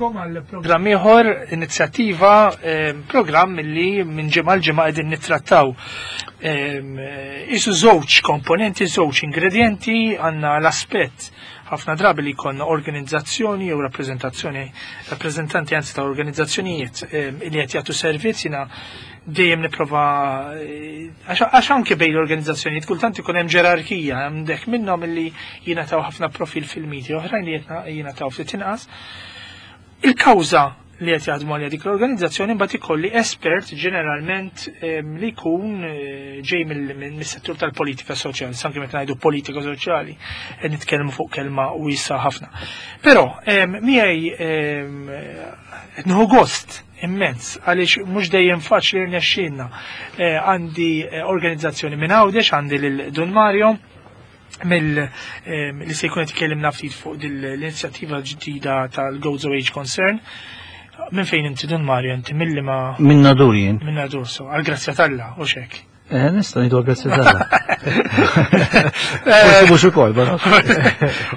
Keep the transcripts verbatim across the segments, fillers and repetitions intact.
Nilqagħkom għal programm ieħor, inizjattiva, eh, programm li minn ġimgħa l ġimgħa qegħdin nittrattaw. Isu żewġ komponenti, żewġ ingredienti, għandna l-aspett ħafna drabi li jkollna organizzazzjoni jew rappreżentazzjoni, rappreżentanti anzi ta' organizzazzjonijiet li qed jagħtu servizz. Jiena dejjem nipprova, għax anke bejn l-organizzazzjonijiet kultant ikun hemm ġerarkija, għandek minnhom li jingħataw ħafna profil fil-media, oħrajn li jingħataw ftit inqas. Il-kawża li qed jaħdmu għalija dik l-organizzazzjoni, mbagħad ikolli espert ġeneralment li jkun eh, ġej mill-settur tal-politika soċjali, anke meta ngħidu politika soċjali qed nitkellmu fuq kelma wiesa ħafna. Però miegħi qed nieħu gost immens għaliex mhux dejjem faċli rnexxielna. Eh, għandi eh, organizzazzjoni minn Għawdex, għandi lil Dun Mario mill li se jkun qed ikellimna ftit fuq l-inizjattiva ġdida tal-Gozo Age Concern. Minn fejn inti, Dun Mario, inti milli ma? Minn Nadur jien. Minn Nadur, so, għal-grazzja t'Alla, u xek. Eh, nista' ngħidu għal-grazzja t'Alla. Forsi mhux ukoll, però.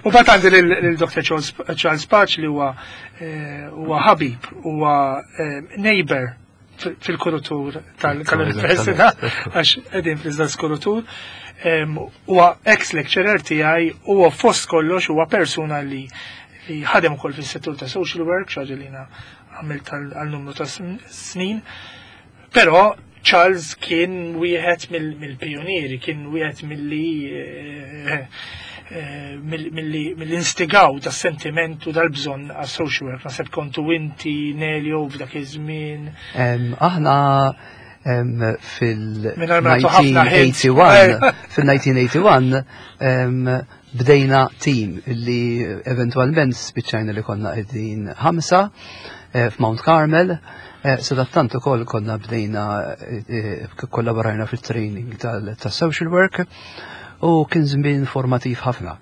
U bat għandi lil Doctor Charles Pace li huwa eh, huwa ħabib, huwa eh, neighbor fil-kurutur tal-università, għax qegħdin fl-istess kurutur. Huwa ex-lecturer tiegħi, huwa fost kollox huwa persuna li li ħadem ukoll fis-settur ta' social work, xi ħaġa li għamilt għal numru ta' snin. Però Charles kien wieħed mill-pionieri, kien wieħed milli eh, eh, mill-instigaw ta' sentimentu dal-bżonn għas social work. Naħseb kontu inti, Nelio, f'dak iż-żmien. Aħna fil-elf disa' mija u wieħed ogħtini fil-elf disa' mija u wieħed ogħtini bdejna team li eventualment spiċċajna li konna qegħdin ħamsa eh, f'Mount Carmel. Eh, Sadattant ukoll konna bdejna eh, kollaborajna fil-training tal-social work u kien żmien formativ ħafna.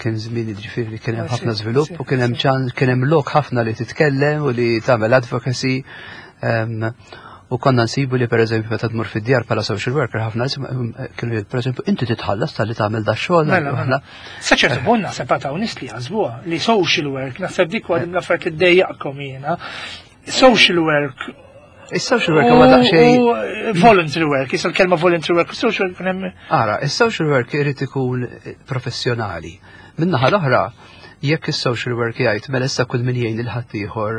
Kien żmien, ġifieri, kien hemm ħafna żvilupp u kien hemm kien hemm lok ħafna li titkellem u li tagħmel advocacy. U konna nsibu li, per eżempju, meta tmur fid-djar bħala social worker, ħafna kienu, per eżempju, inti titħallas talli tagħmel da xogħol. Mela, mela. Sa ċertu punt naħseb għataw nies li jaħsbuha li social work, naħseb dik waħda mill-affarijiet li ddejjaqkom jiena. Social work Is-social work huwa daqsxejn voluntary work, issa l-kelma voluntary work, social work hemm. Ara, is-social work irid ikun professjonali. Min-naħa l-oħra, jekk is-social work jgħid mela issa kull min jgħin lil ħaddieħor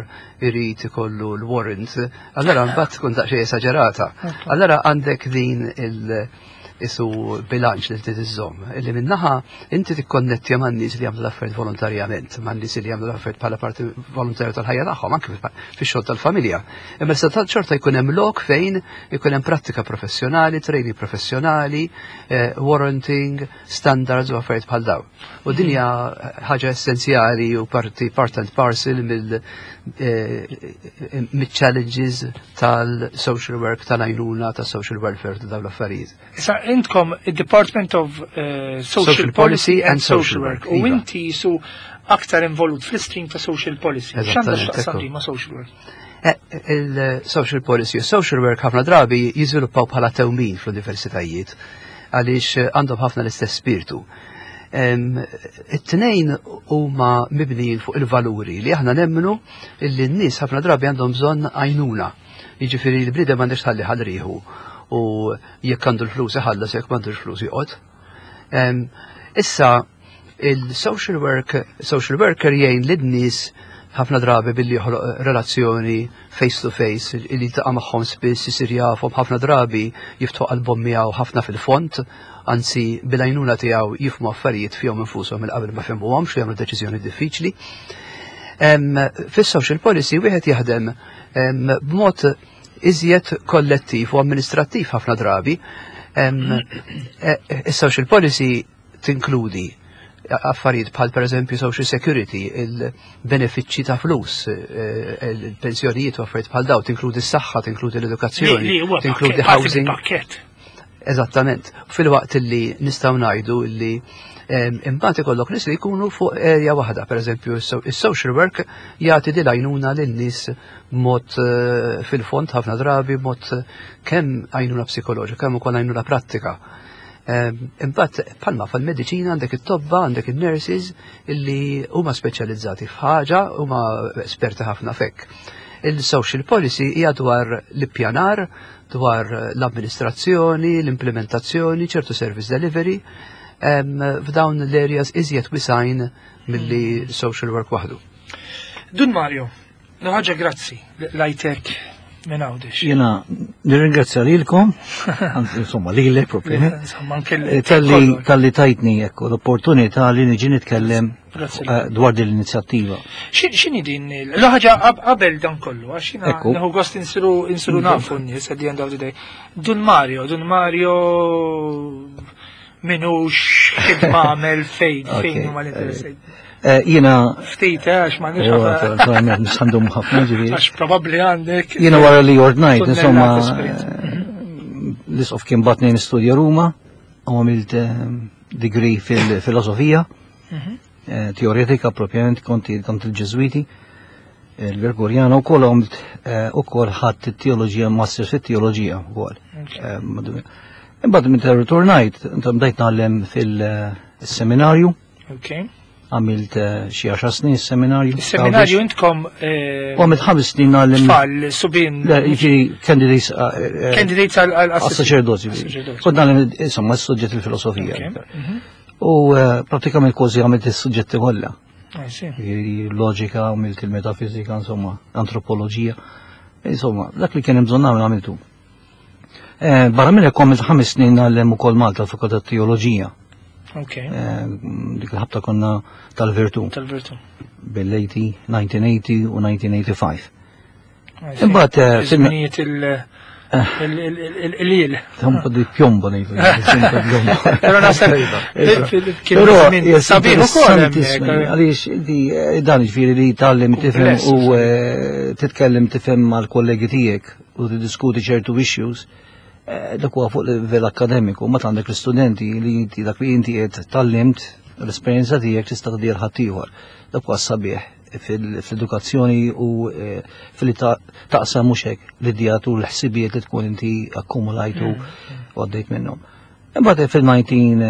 irid ikollu l-warrant, allora mbagħad tkun daqsxejn esaġerata. Allora għandek din il- isu bilanċ li trid iżżomm. Illi minnaħa inti tikkonnettja man nies li jagħmlu l-affarijiet volontarjament, man nies li jagħmlu l-affarijiet bħala parti volontarja tal-ħajja tagħhom, anke fix-xogħol tal-familja. Imma sa xorta jkun hemm lok fejn ikun hemm prattika professjonali, training professjonali, eh, warranting, standards u affarijiet bħal dawn. U din hija ħaġa essenzjali u parti part and parcel mill eh, challenges tal-social work, tal-għajnuna, tal-social welfare, ta' dawn l-affarijiet. Issa intkom il-Department of uh, Social, Social Policy and Social Work. U iva. inti su aktar involut fl-stream ta' Social Policy. X'għandha Eżattament, x'taqsam ekku. ma' social work? Eh, Il-social policy u social work ħafna drabi jiżviluppaw bħala tewmin fl-universitajiet għaliex għandhom ħafna l-istess spiritu. Em, It-tnejn huma mibnijin fuq il-valuri li aħna nemmnu illi n-nies ħafna drabi għandhom bżonn għajnuna. Jiġifieri l-bniedem m'għandux tħalli ħalriħu u jekk għandu l-flus iħallas, jekk m'għandux flus joqgħod. Em, Issa il-social work, social worker jgħin lin-nies ħafna drabi billi joħloq relazzjoni face to face, li jiltaqa' magħhom spiss, isir jafhom, ħafna drabi jiftħu qalbhom miegħu ħafna fil-fond, anzi bil-għajnuna tiegħu jifhmu affarijiet fihom infushom il qabel ma fehmuhomx u jagħmlu deċiżjoni diffiċli. Em, Fis-social policy wieħed jaħdem em, b'mod iżjed kollettiv u amministrattiv ħafna drabi. Em, eh, Is-social policy tinkludi affarijiet bħal, per eżempju, social security, il-benefiċċji ta' flus, eh, il-pensjonijiet u affarijiet bħal dawn, tinkludi s-saħħa, tinkludi l-edukazzjoni, Li huwa tinkludi pakket, parti housing. mill-pakket. Eżattament. Filwaqt li nistgħu ngħidu li em, imbagħad ikollok nies li jkunu fuq area waħda, per eżempju is-social work jagħti din għajnuna lin-nies b'mod eh, fil-fond ħafna drabi, b'mod eh, kemm għajnuna psikoloġika, kemm ukoll għajnuna prattika. Imbagħad bħalma fil-mediċina għandek it-tobba, għandek il-nurses illi huma speċjalizzati f'ħaġa, huma esperti ħafna fek. Il-social policy hija dwar l-ippjanar, dwar l-amministrazzjoni, l-implementazzjoni, ċertu service delivery, f'dawn l-areas iżjed wisgħin milli social work waħdu. Dun Mario, ħaġa grazzi lajtek minn Għawdex. Jiena nirringrazzja lilkom, insomma lilek propju. Insomma, anke eh, Talli talli tajtni ekku l-opportunità li niġi nitkellem Grazzi. eh, dwar din l-inizjattiva. X'inhi din l-ħaġa qabel dan kollu, għax jiena Ekku. nieħu gost insiru insiru nafu n-nies at the end of the day. Dun Mario, Dun Mario minux x'ħidma għamel fejn, fejn Ok, huma l-interessi. Eh, Jiena, Ftit, eh, għax ma nix eh, naturalment, nistandum ħafna ġifieri. għax probabbli għandek. Jiena wara li ordnajt, Tunnellat insomma, esperjenza. eh, l-isqof kien bagħatni nistudja Ruma, u għamilt eh, degree fil-filosofija, Mhm. eh, teoretika propjament konti kont il-Ġeżwiti, il-Gregoriana, u kol għamilt eh, u kol ħadt it-teoloġija, master fit-teoloġija u kol. Ok. Imbagħad meta ritornajt, bdejt ngħallem fil-seminarju, Ok. għamilt eh, xi għaxar snin seminarju. Is-seminarju intkom eh, U għamilt ħames snin ngħallem. tfal, subien, Le, jiġifieri candidates eh, eh, candidates għal għas-saċerdoti. Għas-saċerdoti. Kont ngħallem insomma s-suġġett il-filosofija. Ok. Mhm. U eh, pratikament kważi għamilt is-suġġetti kollha. I see. Jiġifieri loġika, għamilt il-metafizika, insomma, antropoloġija. Insomma, dak li kien hemm bżonn nagħmel għamiltu. Eh, Barra minn hekk għamilt ħames snin ngħallem ukoll Malta l-Fakultà Teoloġija. Ok. Eh, Dik il-ħabta konna tal-Virtu Tal-virtu. bil-eighty, nineteen eighty u nineteen eighty-five. I see. Imbagħad eh, fil- Żminijiet il- il- il- il- il-il. Tempo di piombo ngħidu. Tempo di piombo. Però naħseb fil- kien Però żmien hija sabiħ ukoll interessantissimi, hemmhekk. għaliex inti eh, dan ġifieri li tgħallem tifhem Kumpless. u eh, titkellem tifhem mal-kollegi tiegħek u tiddiskuti ċertu issues, eh, dak huwa fuq livell akademiku, ma għandek l-istudenti li inti dak li inti qed tgħallimt l-esperjenza tiegħek tista' tgħaddi ħaddieħor. Dak huwa sabiħ fil- fl-edukazzjoni u eh, fil-li ta- taqsam mhux hekk l-idejat u l-ħsibijiet li tkun inti akkumulajtu u għaddejt minnhom. Imbagħad fil-nineteen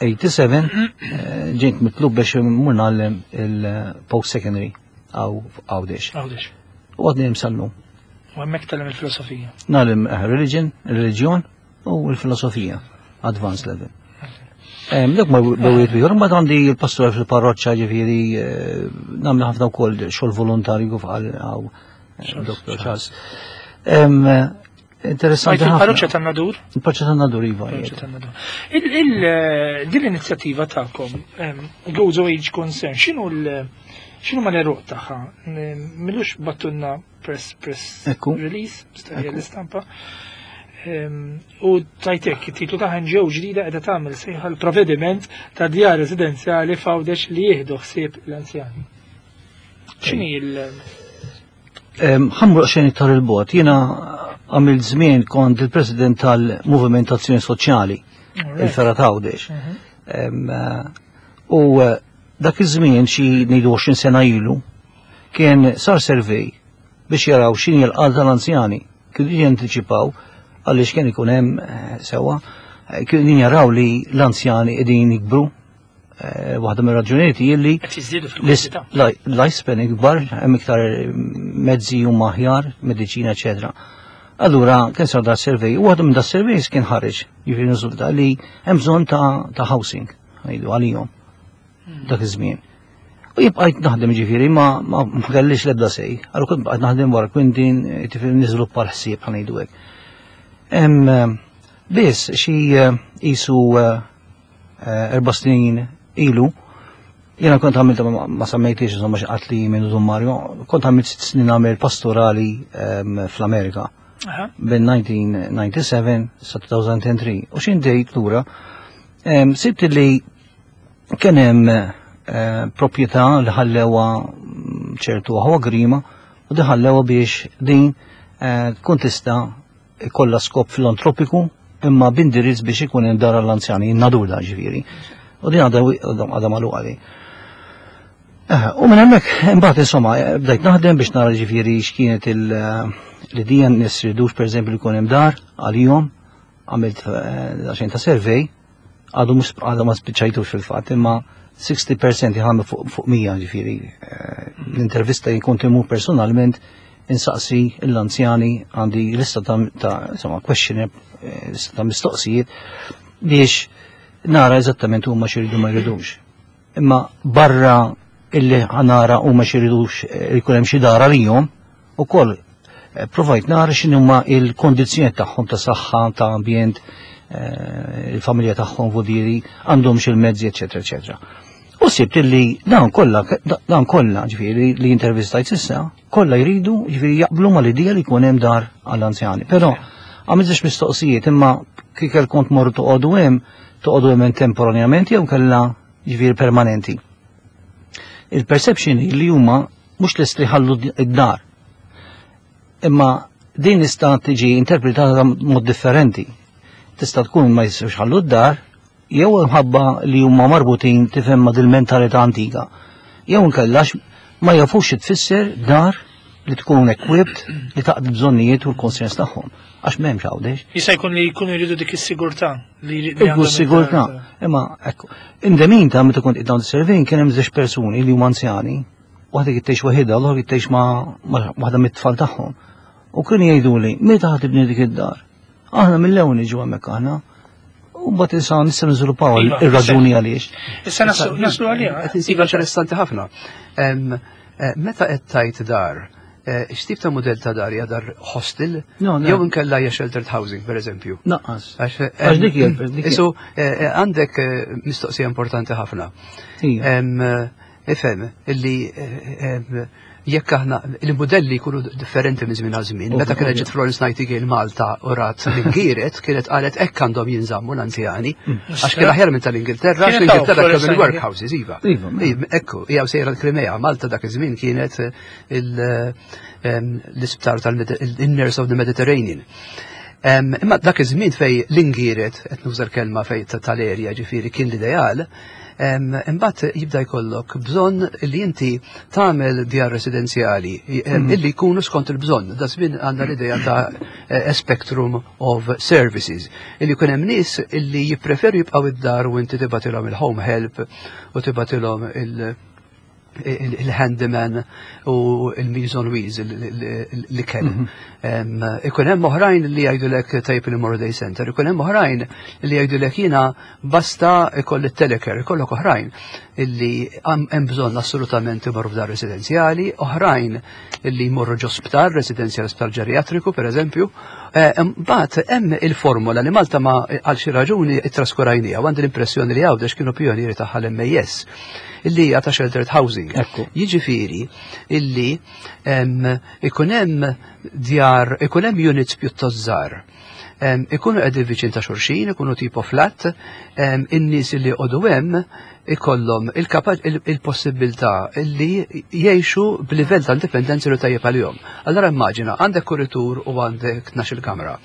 eighty-seven eh, ġejt mitlub biex mmur ngħallem il-post secondary għaw Għawdex. Għawdex. U għadni hemm sal-lum. U hemmhekk tgħallem il-filosofija. Ngħallem eh, religion, reliġjon u l-filosofija, advanced level. Em, Dak ma bwiet ieħor, mbagħad għandi l-pastor fil-parroċċa ġifieri eh, nagħmel ħafna wkoll xogħol volontarju f'għal għaw Doctor Charles. Em, Interessanti Għajt il-parroċċa ħafna. tan-Nadur? Il-parroċċa tan-Nadur, iva. Parroċċa tan-Nadur. Il- il- eh, Din l-inizjattiva tagħkom, em, Gozo Age Concern, x'inhu l- x'inhu ma l-eruq tagħha? M'ilux bgħattulna press press Ekku. release, staqja Ekku. l-istampa. Em, U tajtek, it-titlu ta' N G O ġdida qiegħda tagħmel sejħa l-provvediment ta' djar residenzjali f'Għawdex li jieħdu ħsieb l-anzjani. X'inhi il- Ħa mmur xejn iktar 'il bogħod. Jiena għamilt żmien kont il-president tal-Moviment Azzjoni Soċjali, il-Fergħa Għawdex. Mhm. Em, eh, U eh, dak iż-żmien xi ngħidu għoxrin sena ilu kien sar survey biex jaraw x'inhi l-qagħda tal-anzjani. Kienu jantiċipaw għaliex kien ikun hemm eh, sewwa, eh, kienu jaraw li l-anzjani qegħdin jikbru. Eh, Waħda mir-raġunijiet hi li Qed jiżdiedu fil-kwantità. lifespan ikbar, hemm iktar mezzi huma aħjar, mediċina, eċetera. Allura kien sar da survey, u waħda minn da surveys kien ħareġ, jiġifieri riżulta li hemm bżonn ta' ta' housing, ngħidu għalihom dak iż-żmien. U jibqajt naħdem ġifieri ma ma ma kellix l-ebda sej. Allura kont bqajt naħdem wara Quintin, ġifieri niżviluppa l-ħsieb ħa ngħidu hekk. Hemm eh, biss xi eh, qisu eh, eh, erba' snin ilu, jiena kont għamilt, ma- ma semmejtix insomma xi qatt li minn Dun Mario, kont għamilt sitt snin għamil pastorali em, fl-Amerika Aha. bin nineteen ninety-seven sa two thousand three. U xin dejt lura, em, sibt li kien hemm eh, proprjetà li ħallewa mm, ċertu aħwa Grima u di ħallewa biex din eh, tkun tista' ikollha skop filantropiku imma b'indirizz biex ikun hemm dar għall-anzjani, in-Nadur da ġifieri. U din għadha għadha magħluqa di. Eh, U minn hemmhekk imbagħad insomma eh, bdejt naħdem biex nara ġifieri x'kienet il- eh, l-idea nies ridux pereżempju li jkun hemm dar għalihom, għamilt eh, daqsxejn ta' survey. Għadu mhux għadu ma spiċċajtux fil-fatt, imma sittin fil-mija jħamlu fuq fuq mija, ġifieri. eh, L-intervista jkun timur personalment insaqsi l-anzjani, għandi lista ta' ta' insomma questionnaire, eh, lista ta' mistoqsijiet biex nara eżattament huma x'iridu ma jridux. Imma barra illi nara huma x'iridu eh, jkun hemm xi dar għalihom, ukoll eh, provajt nara x'inhuma il-kondizzjoni tagħhom ta' saħħa, ta' ambjent, eh, il-familja tagħhom vudieri, għandhom il-mezzi, eċetera, eċetera. U sibt illi dawn kollha, dawn kollha, ġifieri li intervistajt s'issa, kollha jridu, ġifieri jaqblu mal-idea li jkun hemm dar għall-anzjani. Però għamiltx mistoqsijiet, imma kieku kont morru toqgħodu hemm, toqgħodu hemm temporanjament jew kellha ġifieri permanenti. Il-perception li huma mhux lest li ħallu id-dar. Imma din tista' tiġi interpretata mod differenti. Tista' tkun ma jistgħux ħallu d-dar jew imħabba li huma marbutin, tifhem, ma' dil-mentalità antika. Jew inkellax ma jafux xi tfisser dar li tkun equipped li taqdi bżonnijiet u l-konsens tagħhom. Għax m'hemmx Għawdex. Jista' jkun li jkunu jridu dik is-sigurtà li li Ikku għandhom s-sigurtà. id-dar. Imma ekku, indemin ta' meta kont dawn is-survey kien hemm żewġ persuni li huma anzjani, waħda kien tgħix waħedha, l-oħra kien tgħix ma' ma' waħda mit-tfal tagħhom. U kienu jgħiduli, "Meta ħa tibni dik id-dar? Aħna mill-ewwel niġu hemmhekk aħna." U mbagħad issa nista' niżviluppaw Iva, ir-raġuni għaliex. Issa naslu naslu għaliha. Qed insiba interessanti ħafna. Em, eh, Meta qed tajt dar, eh, x'tip ta' modell ta' dar, hija dar hostel? No, no. Jew inkella hija sheltered housing, per eżempju? Naqqas. Għax Għax dik hija- dik hija- Isu, eh, eh, għandek eh, mistoqsija importanti ħafna. Ija. Em, eh, Ifhem, illi eh, em, jekk aħna il-modelli jkunu differenti minn żmien għal żmien. Meta kienet ġiet Florence Nightingale Malta u rat l-ingiret, kienet qalet hekk għandhom jinżammu l-anzjani. Għax kien aħjar minn tal-Ingilterra, għax Kienet hawn l-Ingilterra Florence kellhom Nightingale. il-workhouses, iva. Iva, mela. Iva, ekku, hija sejra l-Krimea, Malta dak iż-żmien kienet eh, il- em, l-isptar tal-Nurse of the Mediterranean. Em, Imma dak iż-żmien fej l-ingiret, qed nuża l-kelma fej ta- tal-erja, ġifieri kien l-ideal, em, imbagħad jibda jkollok bżonn li inti tagħmel djar residenzjali em, illi jkunu skont il-bżonn. Da żmien għandna l-idea ta' eh, a spectrum of services. Illi jkun hemm nies illi jippreferu jibqgħu id-dar u inti tibgħatilhom il-home help u tibgħatilhom il- il- il-handyman u il-Meals on Wheels li kell. Ikun hemm oħrajn li jgħidulek tajb li morru day center, ikun hemm oħrajn li jgħidulek jiena basta ikolli telecare, ikollok oħrajn illi hemm bżonn assolutament imorru f'dar residenzjali, oħrajn illi jmorru ġo sptar residenzjali, sptar ġeriatriku per eżempju. Mbagħad hemm il-formula li Malta ma għal xi raġuni ittraskurajnija, u għandi l-impressjoni li Għawdex kienu pionieri tagħha l-M A S, illi hija ta' sheltered housing. Ekku. Jiġifieri illi em, ikun hemm djar, ikun hemm units pjuttost żgħar. Em, Ikunu qegħdin viċin ta' xulxin, ikunu tipo flat, em, in-nies li joqogħdu hemm ikollhom il-kapa- il- il-possibilità illi jgħixu b'livell ta' indipendenza li tajjeb għalihom. Allora immaġina, għandek kuritur u għandek tnax-il kamra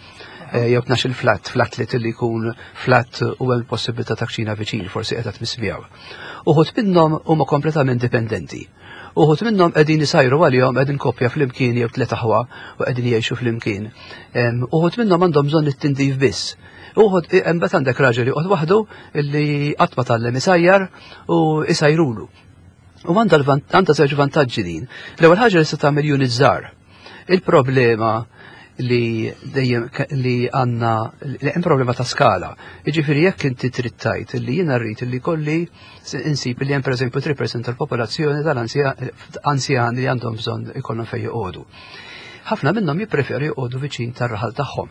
eh, jew tnax il flat, flat li li jkun flat u hemm possibilità ta' kċina viċin, forsi qiegħda tmiss. Uħud minnhom huma kompletament dipendenti. Uħud minnhom qegħdin isajru għalihom, qegħdin koppja flimkien jew tliet aħwa u qegħdin jgħixu flimkien. Em, Uħud minnhom għandhom bżonn it-tindif biss. Uħud imbagħad għandek raġel joqgħod waħdu illi qatt ma tgħallem isajjar u isajrulu. U għandha l-vant- għandha żewġ vantaġġi din. L-ewwel ħaġa li se tagħmel unit żgħar. Il-problema li dejjem ke- li għandna li hemm problema ta' skala. Jiġifieri jekk inti trid tgħid li jiena rrid li kolli insib li hemm pereżempju tlieta fil-mija tal-popolazzjoni tal-anzjani li għandhom bżonn ikollhom fejn joqogħdu. Ħafna minnhom jippreferu joqogħdu viċin tar-raħal tagħhom.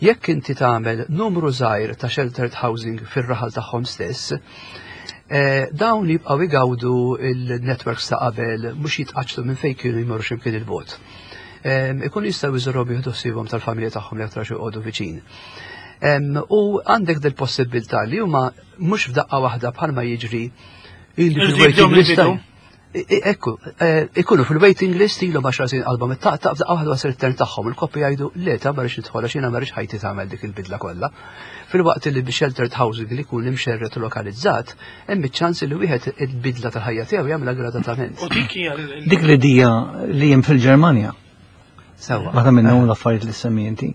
Jekk inti tagħmel numru żgħir ta' sheltered housing fir-raħal tagħhom stess, eh, dawn jibqgħu igawdu il-networks ta' qabel, mhux jitqaċċtu minn fejn kienu jmorru x'imkien il-bogħod. Em, Ikun jistgħu jżurhom, jieħdu ħsiebhom tal-familja tagħhom li aktar joqogħdu viċin. Em, U għandek del possibilità li huma mhux f'daqqa waħda bħalma jiġri illi Irridu fil-waiting jibdew list. mill-bidu. I- i- Ekku, eh, ikunu fil-waiting list ilhom għaxar snin qalbhom it-taqtaq, f'daqqa waħda wasal it-turn tagħhom, il-koppja jgħidu, "Le ta', ma rridx nidħol għax jiena ma rridx ħajti tagħmel dik il-bidla kollha." Filwaqt li bi sheltered housing li jkun imxerret u lokalizzat, hemm iċ-ċans li wieħed il-bidla tal-ħajja tiegħu jagħmilha gradatament. U dik hija l- Dik l-idea li hemm fil-Ġermanja. Sewwa. Waħda minnhom l-affarijiet li semmi inti.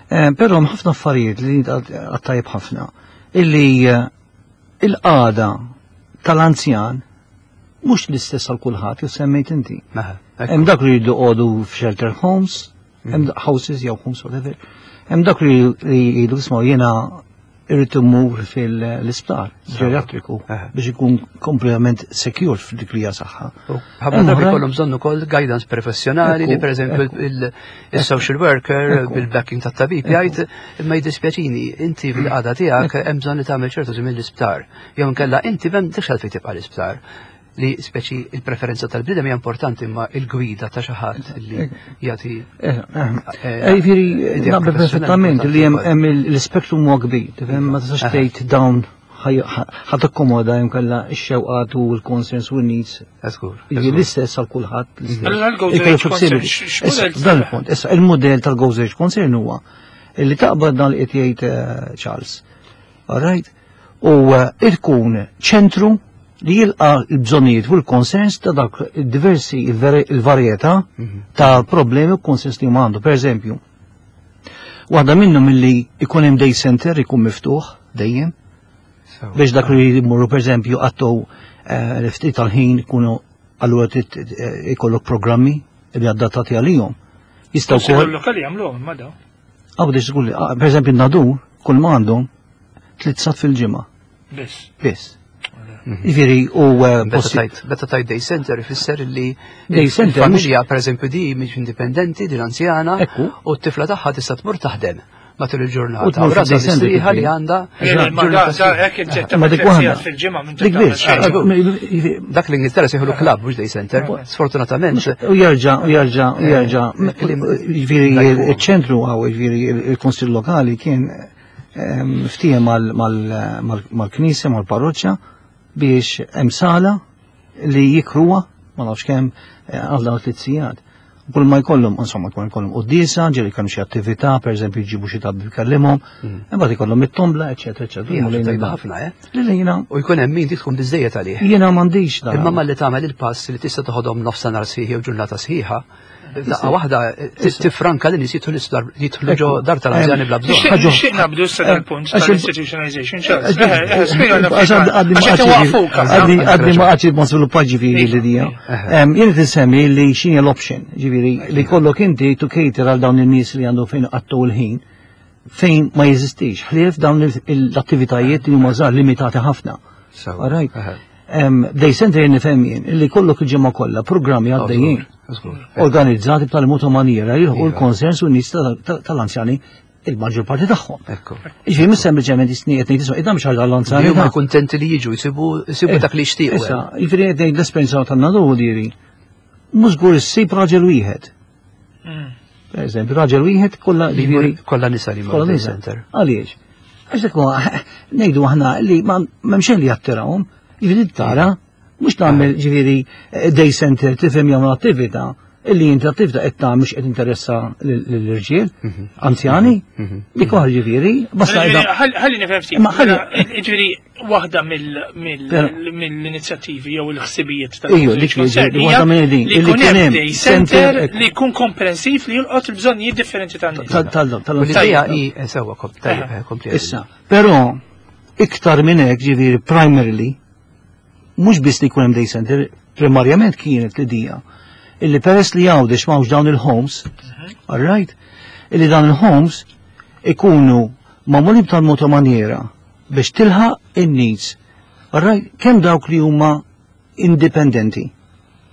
Eh, Però hemm ħafna affarijiet li għattajb ħafna illi eh, Il-qagħda tal-anzjan mhux l-istess għal kulħadd, jew semmejt inti. Mela, ekku. Hemm dak li jridu joqogħdu f'shelter homes, hemm houses jew homes, whatever. Hemm dak li li jgħidu, "Isma', jiena irrid immur fil-isptar ġeriatriku Aha. biex ikun kompletament secure f'dik li hija saħħa." U ħafna drabi Oħrajn- jkollhom bżonn ukoll guidance professjonali li Ekku, pereżempju ekku. il- il-social worker Ekku. bil-backing tat-tabib jgħid, "Imma jdispjaċini, inti bil-qagħda tiegħek hemm bżonn li tagħmel ċertu żmien l-isptar. Jew inkella inti m'għandekx għalfejn tibqa' l-isptar." Li speċi il-preferenza tal-bniedem hija importanti, imma il-gwida ta' xi ħadd li jagħti Eh, eh. eh, Jiġifieri, idea naqbel professjonali perfettament li hemm importanti hemm il- l-spektrum huwa kbir, tifhem, ma tistax Aha. tgħid dawn ħa takkomoda hemm kellha x-xewqat u l-concerns u l-needs. Żgur. Jiġifieri l-istess għal kulħadd, l-istess. Allura l-Gozo Ikollu Age Concern, flexibility. x- x'modell Issa, dan il-punt. Issa, il-modell tal-Gozo Age Concern huwa illi taqbad dan li qed jgħid eh, Charles. All right? U eh, ikun ċentru li jilqa l-bżonnijiet u l-concerns ta' dak diversi il-varjetà ta' problemi u concerns li huma għandu. Per eżempju, waħda minnhom illi ikun hemm day center ikun miftuħ dejjem biex dak li jmorru, per eżempju, għattu l-ftit tal-ħin ikunu, allura trid, eh, ikollok programmi li adattati għalihom. Jistgħu Kunsill wkoll lokali jagħmluhom ma daw. Għaw biex ah, per eżempju, Nadur, kull ma għandhom tliet sigħat fil-ġimgħa Biss. biss. Jiġifieri u eh, Meta possi- tajt, meta tajt day center ifisser li Day center il-familja per eżempju di mhix indipendenti, din anzjana, Ekku. u t-tifla tagħha tista' tmur taħdem matul U il-ġurnata. tmur U rasha fid-day center mistrieħa li kif għandha Ma da ġurnata da hekk inti Ma dik waħda. fil-ġimgħa minn Dik biss. Dik Dak l-Ingilterra sejħulu club, mhux day center. Sfortunatament, U jerġa', u jerġa', u jerġa'. Eh, Jiġifieri Dak- il-ċentru għaw, jiġifieri il-Konsil Lokali kien ehm, ftiehem mal-Knisja, mal-parroċċa biex hemm sala li jikruha, ma nafx kemm, eh, għal dawn tliet sigħat. Kull ma jkollhom, insomma, kull ma jkollhom quddiesa, ġieli kellhom xi attività, pereżempju jġibu xi tabib jkellimhom, imbagħad ikollhom it-tombla, eċetera, eċetera. hija Jmur lejn tajba il-bar. ħafna, eh? Li li jiena U jkun hemm min tkun biżejjed għalih. Jiena m'għandix dan. Imma malli tagħmel il-pass li tista' toħodhom nofs nhar sħiħ jew ġurnata sħiħa, daqqa waħda tifranka li nies jidħlu l-isptar, jidħlu ġo dar tal-anzjani bla bżonn. Nixtieq nixtieq nabdu issa dal-punt Għax il- tal-institutionalization. Charles. Eh, eh, spjega Għax għaddi għax qed iwaqfuk. Għaddi għaddi ma għaddi ma sviluppa ġifieri l-idea. Jien qed li x'inhi l-option, ġifieri li kollok inti to cater għal dawn in-nies li għandhom fejn għattu l-ħin fejn ma jeżistix, ħlief dawn l-attivitajiet li huma żgħar, limitati ħafna. So, All right. aha. Day center jien nifhem jien illi kollok il-ġimgħa kollha programmi għaddejjin Żgur. Organizzati b'tali mod u maniera jilħqu Iva. l-konsens u n-nies tal-anzjani, il-maġġor parti tagħhom. Ekku. Ġifieri mhux sempliċement jisni qed ngħid, isma', id mhux għal l-anzjani. Huma kuntenti li jiġu jsibu jsibu dak li jixtiequ. Issa, jiġifieri qed ngħid l-esperjenza tan-Nadur diri. Mhux żgur issib raġel wieħed. Per eżempju, raġel wieħed kollha Li ġifieri jmur- kollha nisa li jmorru kollha day nisa. center. Għaliex? Għax dak huwa ngħidu aħna li ma m'hemm xejn li jattirawhom. Jiġifieri tara mhux tagħmel ġifieri eh, day center, tifhem, jagħmlu attività illi inti attività qed tagħmel mhux qed interessa lill-irġiel anzjani. Dik oħra ġifieri, basta Ġifieri, qiegħda- ħalli ħalli nifhem ftit. Imma ħalli- Mela, Ġifieri waħda mill- mill- Però- mill-inizjattivi jew il-ħsibijiet tal Ejju, dik li ġi- waħda minn din, li illi jkun kien hemm hemm day center center, li jkun komprensiv li jolqot il-bżonnijiet differenti tan-nies. tal- tal- tal- U l-idea hi eh, sewwa kom- tajjeb, Aha. eh, kompli. Issa, però iktar minn hekk, ġifieri primarily mhux biss li jkun hemm day center, primarjament kienet l-idea illi peress li Għawdex m'hawnx dawn il-homes, all right, illi dawn il-homes ikunu magħmulin tal-mod u maniera biex tilħaq in-needs. All right, kemm dawk li huma indipendenti.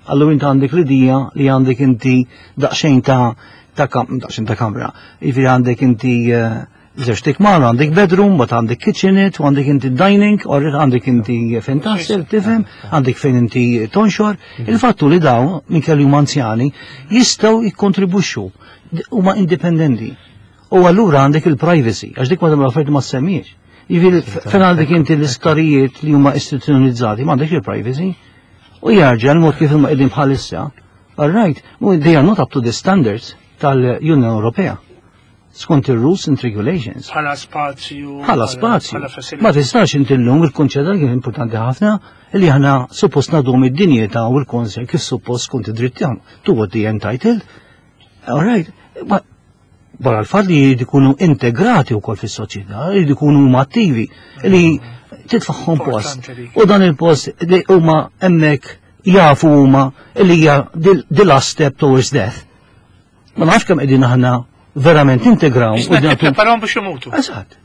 Allura inti għandek l-idea li għandek inti daqsxejn ta' ta' kam, daqsxejn ta' kamra. Jiġifieri għandek inti eh, żewġ tikmar, għandek bedroom, but għandek kitchenette, u għandek inti dining, u għandek inti fejn taħsel, tifhem, għandek fejn inti tonxor. Il-fattu li dawn, minn kelli huma anzjani, jistgħu jikkontribwixxu, huma indipendenti. U allura għandek il-privacy, għax dik waħda mill-affarijiet ma semmiex. Jiġifieri fejn għandek inti l-isptarijiet li huma istituzzjonalizzati, ma għandek il-privacy. U jarġa' l-mod kif huma qegħdin bħalissa, all right, u they are not up to the standards tal-Unjoni Ewropea. Skont il-rules and regulations. Bħala spazju. Bħala spazju. Bħala facility. Ma tistax inti llum il-kunċett kien importanti ħafna li aħna suppost nagħtuhom id-dinjità u l-konsens kif suppost skont id-dritt tagħhom. To what they entitled. All right. Ma barra l-fatt li jridu jkunu integrati wkoll fis-soċjetà, jridu jkunu huma attivi, li Titfagħhom post. U dan il-post li huma hemmhekk jafu huma li hija the last step towards death. Ma nafx kemm qegħdin aħna verament integraw. U nippreparahom biex imutu. Eżatt.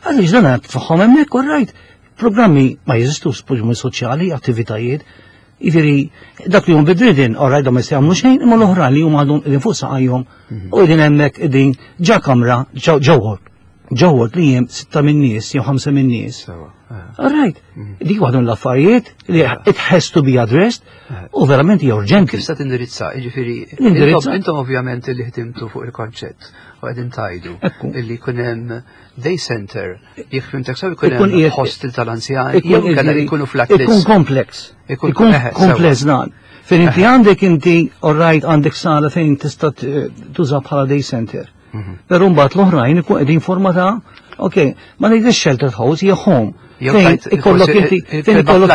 Għaliex dan titfagħhom hemmhekk, all right. Programmi ma jeżistux, programmi soċjali, attivitajiet. Jiġifieri, dak li hum bedridden, all right, ma jistgħu xejn, imma l-oħra li huma għadhom qegħdin fuq saqajhom u qegħdin hemmhekk qegħdin ġa kamra ġewwa ġewwa li hemm sitta minn nies jew ħamsa minn nies. All right. Dik waħda mill-affarijiet li it has to be addressed u verament hija urġenti. Kif se tindirizza? Jiġifieri intom ovvjament li ħdimtu fuq il-konċett u qegħdin tajdu illi jkun hemm day center, jekk fimtek sew ikun hemm hostel tal-anzjani, jew kellha jkunu flatlets. Ikun complex. Ikun complex dan. Fejn inti għandek inti, all right, għandek sala fejn tista' tuża bħala day center. Però mbagħad l-oħrajn ikun qegħdin forma ta' ok, ma ngħidx shelter house, hija home. Fejn ikollok inti fejn ikollok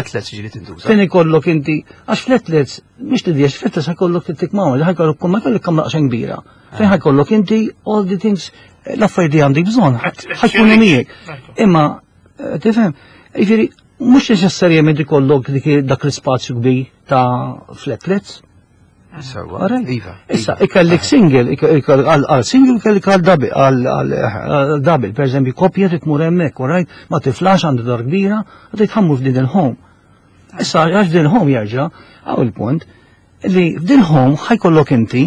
fejn ikollok inti għax flatlets mhix tidiex flatlets ħajkollok tittikmaw, ħajkollok ma jkollok kamra xejn kbira. Fejn ħajkollok inti all the things l-affarijiet li għandek bżonn ħajkunu miegħek. Imma tifhem, jiġifieri mhux neċessarjament ikollok dak l-ispazju kbir ta' flatlets. Sewa, iva. Issa, ikellek single, għal single ikellek għal double, għal double, per eżempju, koppja tmur hemmhekk, right? Ma tiflax għandu dar kbira, għad tħammu f'din il-home. Issa, għax din il-home jerġa', għaw il-punt, li f'din home ħajkollok inti,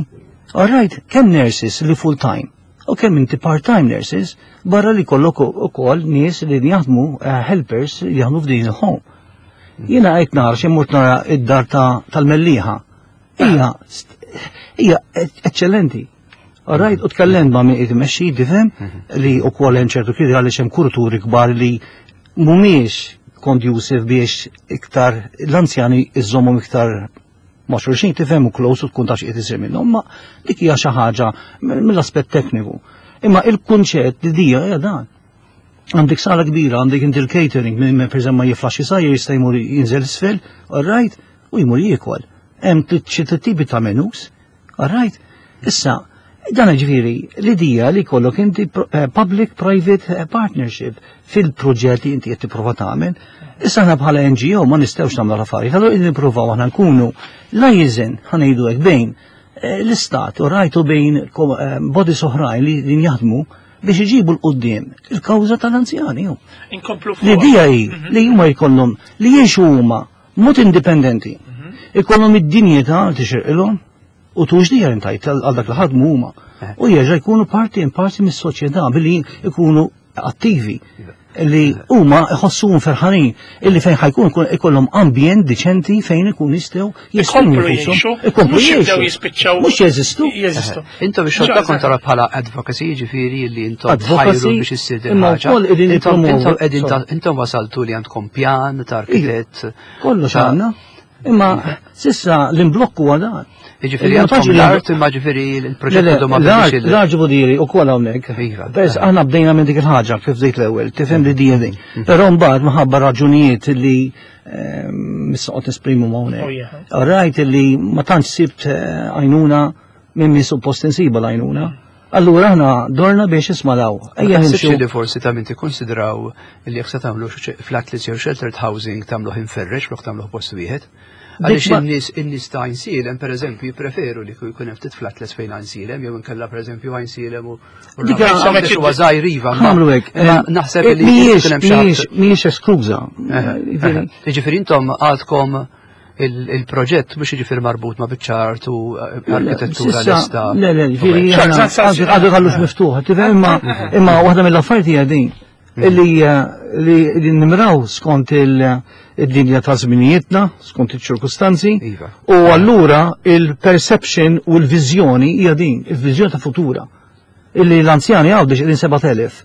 all right, kemm nurses li full time, u kemm inti part-time nurses, barra li kollok ukoll nies li jaħdmu helpers li jaħdmu f'din il-home. Jiena qed nara xi mort nara id-dar tal-Mellieħa. Hija hija eccellenti. All right, u tkellem ma' min qed imexxi tifhem li wkoll hemm ċertu kritika għaliex hemm kurturi kbar li mhumiex conducive biex iktar l-anzjani iżommhom iktar ma' xulxin tifhem u close u tkun taf x'qed isir minnhom, ma dik hija xi ħaġa mill-aspett tekniku. Imma il-kunċett li dija hija dan. Għandek sala kbira, għandek inti l-catering, minn per ma jiflax jisajjer jista' jmur jinżel isfel, all right, u jmur jiekol. Hemm xi tipi ta' menus, all right. Issa, dan ġifieri l-idea li jkollok inti public-private partnership fil-proġett li inti qed tipprova tagħmel. Issa aħna bħala N G O ma nistgħux nagħmlu l-affarijiet, allura qegħdin nippruvaw aħna nkunu liaison ħa ngħidu hekk bejn l-istat u rajtu bejn bodies oħrajn li jaħdmu biex iġibu l-qoddim il-kawża tal-anzjani. Inkomplu L-idea hi li huma jkollhom li jgħixu huma mod indipendenti. Ikollhom id-dinjità li tixirqilhom u tux dija intajt għal dak li ħadmu huma. U jerġa' jkunu parti in parti mis-soċjetà billi jkunu attivi li huma iħossuhom ferħanin illi fejn ħajkun ikollhom ambjent diċenti fejn ikun jistgħu jesprimu jgħixu, ikomplu jgħixu. Jispiċċaw. Mhux jeżistu. Jeżistu. Intom ix-xogħol tagħkom tara bħala advocacy, jiġifieri li intom tħajru biex issir din Imma ħaġa. wkoll qegħdin Intom nippromovu- intom qegħdin intom wasaltu li għandkom pjan ta' arkitett. Kollox għandna. Imma sissa l-imblokku huwa dan. Jiġifieri għandkom l-art imma ġifieri l-proġett għadu ma bidix il- L-art ġifieri u kol hawnhekk. Iva. Bes aħna bdejna minn dik il-ħaġa kif bdejt l-ewwel, tifhem li di din. Però mbagħad minħabba raġunijiet li issa qed nesprimu Oh, hawnhekk. yeah. Rajt li ma tantx sibt eh, għajnuna minn min suppost insiba l-għajnuna. Allura aħna dorna biex isma' daw. Ejja Ejja nimxu. nimxu. Li forsi ta' min tikkonsidraw li jekk se tagħmlu flatlets jew sheltered housing tagħmluh inferrex flok tagħmluh post wieħed. Għaliex ma- in-nies in-nies ta' Għajnsielem pereżempju jippreferu li jkun hemm ftit flatlets fejn Għajnsielem jew inkella pereżempju Għajnsielem u u Dik Għawdex huwa żgħir iva, ma- Nagħmlu hekk. imma eh, naħseb eh, li mhijiex jkun hemm xi ħadd- mhijiex mhijiex eskluża. Eh, Jiġifieri intom għadkom il- il-proġett mhux jiġifieri marbut ma' biċċa art u eh, arkitettura Sissa, lesta. Le, le, ġifieri, Ċar, aħna ċar, ċar, għadu għadu għallux miftuħ, tifhem, imma imma waħda mill-affarijiet hija din illi eh, li li nimraw skont il- id-dinja ta' żminijietna, skont iċ-ċirkustanzi, Iva. u allura il-perception u l-viżjoni hija din, il-viżjoni ta' futura. Illi l-anzjani għaw qegħdin sebat elef,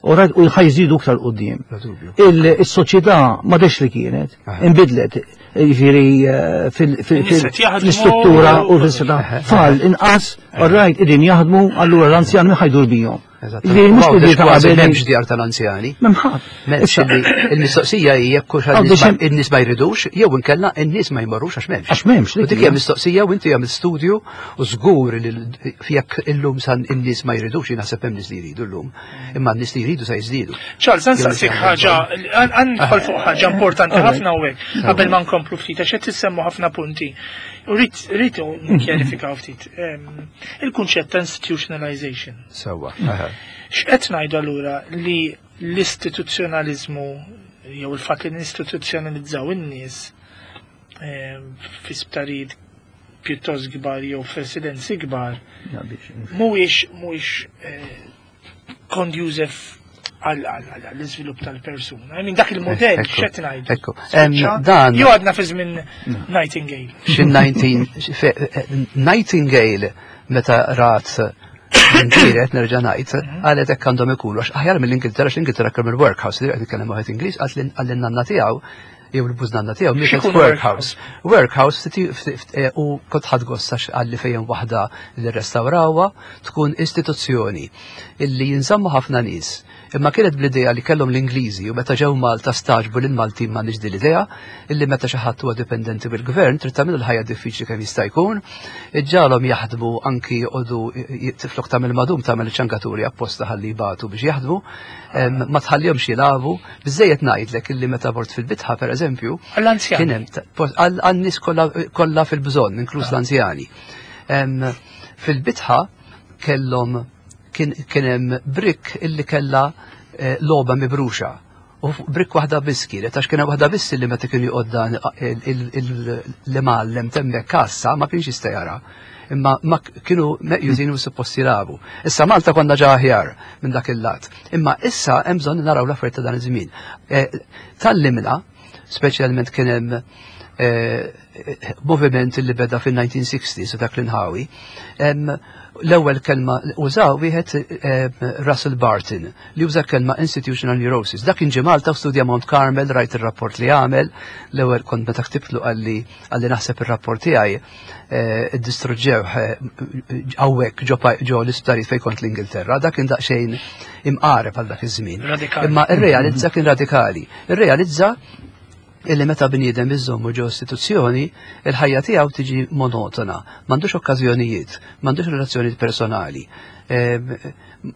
u rajt u ħajżidu iktar quddiem. Bla dubju. Il-soċjetà ma dex li kienet, Aha. inbidlet, jiġifieri eh, fil- fil- In-nies fil- qed jaħdmu. fl-istruttura u fil-soċjetà. Tfal inqas, all right, qegħdin jaħdmu, allura l-anzjan min ħajdur bihom. Ġifieri mhux Għawdex li ta' kważi qabel li- m'hemmx djar tal-anzjani. M'hemm M'hemmx li il-mistoqsija hija jekk hux Għawdex hemm- in-nies ma jridux, jew inkella in-nies ma jmorrux għax m'hemmx. Għax m'hemmx, U dik dik hija hija. mistoqsija u inti għamil studju u żgur li l- jekk illum san in-nies ma jridux, jien naħseb hemm nies li jridu llum. Imma n-nies li jridu se jiżdiedu. Charles, għan saqsik ħaġa, għan nidħol fuq ħaġa importanti Alright. ħafna u hekk, qabel ma nkomplu ftit, għax qed tissemmu ħafna punti. U rrid rrid nkjarifikaw ftit. Em, Il-kunċett ta' institutionalization. Sewwa. X'qed ngħidu allura li l-istituzzjonalizmu jew il-fatt li nistituzzjonalizzaw in-nies em, fi sptarijiet pjuttost kbar jew f'residenzi kbar mhuwiex mhuwiex eh, conducive għal għall-iżvilupp tal-persuna. I mean, dak il-modell Ekku, x'qed ngħidu. ekku. Em, Spiċċa? dan- Jew għadna fi żmien Nightingale. Xi nineteen fe- eh, Nightingale meta rat Intiret nerġa' ngħid, qalet hekk għandhom ikunu għax aħjar mill-Ingilterra, għax l-Ingilterra kemm il-workhouse, li qed nitkellem waħed Ingliż, qalt għall-nanna tiegħu jew il-bużnanna tiegħu mietet X'ikun workhouse. Workhouse ftit- ftit- eh, u kont ħadt gost għax għalli fejn waħda li restawrawha tkun istituzzjoni illi jinżammu ħafna nies. Imma kienet bl-idea li kellhom l-Ingliżi u meta ġew Malta staġbu lil Maltin m'għandix din l-idea illi meta xi ħadd huwa dipendenti bil-gvern trid tagħmel il-ħajja diffiċli kemm jista' jkun, iġġalhom jaħdmu anki joqogħdu tiflok tagħmel madum tagħmel ċangaturi apposta ħalli jbatu biex jaħdmu, em, ma tħallihomx jilagħbu, biżejjed ngħidlek illi meta mort fil-bitħa pereżempju, Għall-anzjani. kien hemm ta- pos- għal għan-nies kollha kollha fil-bżonn, inkluż l-anzjani. Em, Fil-bitħa kellhom kien kien hemm brick illi kellha eh, logħba mibruxa. U fuq brick waħda biss kienet, għax kien hemm waħda biss illi meta kien joqgħod dan l-imgħallem temmek kassa ma kienx jista' jara. Imma ma kienu meqjużin u suppost jilagħbu. Issa Malta konna ġa aħjar minn dak il-lat. Imma issa hemm bżonn naraw l-affarijiet ta' dan iż-żmien. Eh, Tallimna, speċjalment kien hemm eh, moviment li beda fil-nineteen sixties u dak l-inħawi. Em, L-ewwel kelma użaw wieħed em, Russell Barton li uża kelma institutional neurosis. Dak kien ġie Malta u studja Mount Carmel, rajt ir-rapport li għamel. L-ewwel kont meta ktibtlu qalli qalli naħseb ir-rapport tiegħi eh, iddistruġġew hawnhekk ġo pa- ġo l-isptarijiet fejn kont l-Ingilterra. Dak kien daqsxejn imqareb għal dak iż-żmien. Radikali. Imma irrealizza kien radikali. Irrealizza illi meta bniedem iżommu ġo istituzzjoni, il-ħajja tiegħu tiġi monotona, m'għandux okkażjonijiet, m'għandux relazzjonijiet personali, em,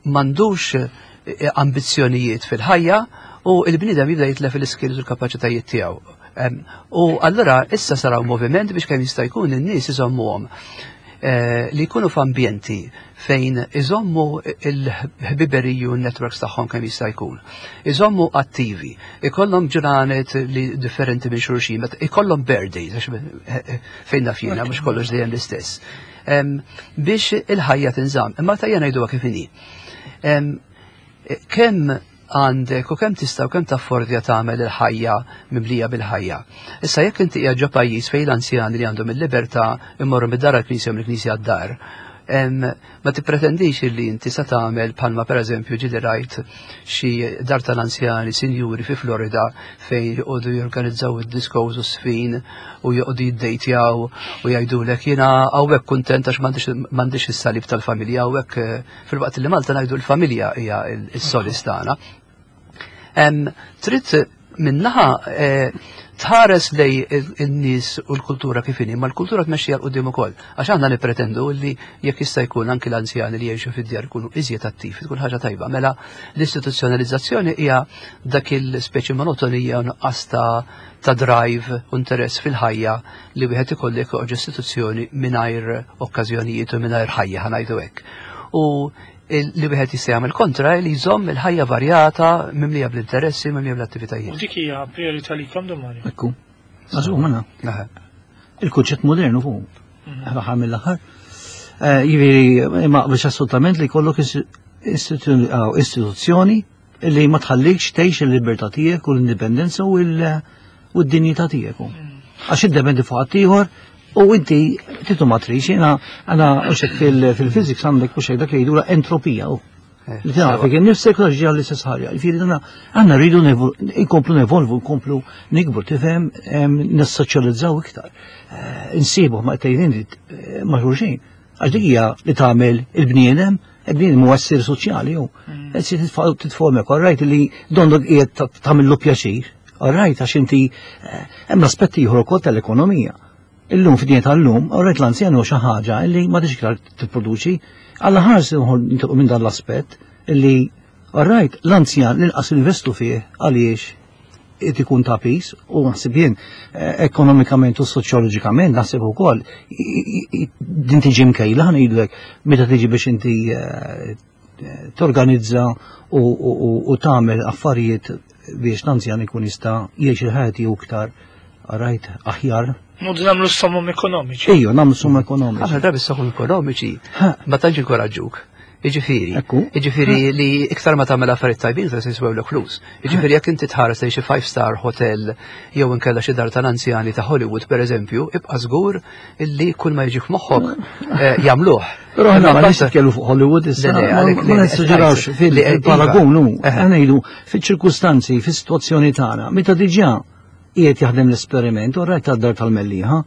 m'għandux eh, ambizzjonijiet fil-ħajja u il-bniedem jibda jitlef il-skills u l-kapaċitajiet tiegħu. Em, U allura issa saraw moviment biex kemm jista' jkun in-nies iżommuhom eh, li jkunu f'ambjenti fejn iżommu il-ħbiberiji u n-networks tagħhom kemm jista' jkun. Iżommu attivi, ikollhom ġranet li differenti minn xulxin, meta ikollhom birthdays, għax eh, eh, fejn naf jiena mhux kollox dejjem l-istess. Em, Biex il-ħajja tinżamm, imma tajja ngħiduha kif inhi. Em, Kemm għandek u kemm tista' u kemm taffordja tagħmel il-ħajja mimlija bil-ħajja? Issa jekk inti qiegħed ġo pajjiż fejn l-anzjani li għandhom il-libertà immorru mid-dar għall-knisja u mill-knisja għad-dar, em, ma tippretendix li inti sa tagħmel bħalma pereżempju ġieli rajt xi dar tal-anzjani sinjuri fi Florida fejn joqogħdu jorganizzaw id-discos u sfin u joqogħdu jiddejtjaw u jgħidulek jiena hawnhekk kuntent għax m'għandix m'għandix is-salib tal-familja hawnhekk, eh, filwaqt li Malta ngħidu l-familja hija s-solis tagħna. Em, Trid minnaħa eh, tħares lej il-nies u l-kultura kif inhi, ma l-kultura tmexxija 'l quddiem ukoll. Għax aħna nippretendu li jekk jista' jkun anki l-anzjani li jgħixu fid-djar ikunu iżjed attivi, tkun ħaġa tajba. Mela l-istituzzjonalizzazzjoni hija dak il-speċi monotonija u nuqqas ta' ta' drive u interess fil-ħajja li wieħed ikollek joqgħod istituzzjoni mingħajr okkażjonijiet u mingħajr ħajja, ħa ngħidu hekk. U il- li wieħed jista' jagħmel kontra li jżomm il-ħajja varjata mimlija bl-interessi, mimlija bl-attivitajiet. U dik hija priorità likom, Dun Mario. Ekku. Għazu, mana. Aha. Il-kunċett modernu fuq. Aħħar mill-aħħar. Eh, Jiġifieri, ma biex assolutament li jkollok istitu- aw, istituzzjoni li ma tħallikx tgħix il-libertà tiegħek u l-indipendenza u l- u d-dinjità tiegħek. Għax iddependi fuq ħaddieħor u inti titu ma trix, jiena għana uxek fil-physics għandek uxek dak li jgħidula entropija. u. Eh, Li taf kien nifsek u ġi għall-istess ħaġa. Jiġifieri dana għandna rridu nevo- inkomplu nevolvu, nkomplu nikbru, tifhem, em, nissoċjalizzaw iktar. Eh, Insibu ma tgħidin ma xulxin. Għax dik hija li tagħmel il-bniedem Din muessir soċjali ju. Qed titformek, all right, li dondok qiegħed tagħmillu pjaċir. All right, għax inti eh, hemm l-aspetti ieħor ukoll tal-ekonomija. Illum fid-dinja tal-lum, all right, l-anzjan huwa xi ħaġa li ma tix iktar tipproduċi. Alla ħares nitilqu minn dan l-aspett illi all right, l-anzjan l-inqas investu fih għaliex qed ikun ta' pis u naħseb jien eh, ekonomikament u soċjoloġikament naħseb ukoll i- i- din tiġi mkejla ħa ngħidlek meta tiġi biex inti eh, torganizza u, u, u, u tagħmel affarijiet biex l-anzjan ikun jista' jgħix il-ħajja tiegħu iktar right aħjar. Noqogħdu nagħmlu somom ekonomiċi. Ejju, nagħmlu somom ekonomiċi. Ħafna drabi s-somom ekonomiċi ma tantx inkoraġġuk. Iġifieri, Ekku. iġifieri li iktar ma tagħmel affarijiet tajbin iktar se jiswewlek flus. Iġifieri jekk inti tħares lejn xi five star hotel jew inkella xi dar tal-anzjani ta' Hollywood pereżempju, ibqa' żgur illi kull ma jiġi f'moħħok eh, jagħmluh. Però aħna Imma ma mbagħad- nix nitkellmu fuq Hollywood issa, Le, le, ma għalhekk ma le, nessuġġerawx li- li- fil-paragun, hu, Eħe. aħna ngħidu fiċ-ċirkustanzi, fis-sitwazzjoni tagħna, meta diġà qiegħed jaħdem l-esperiment u rajt tad-dar tal-Mellieħa.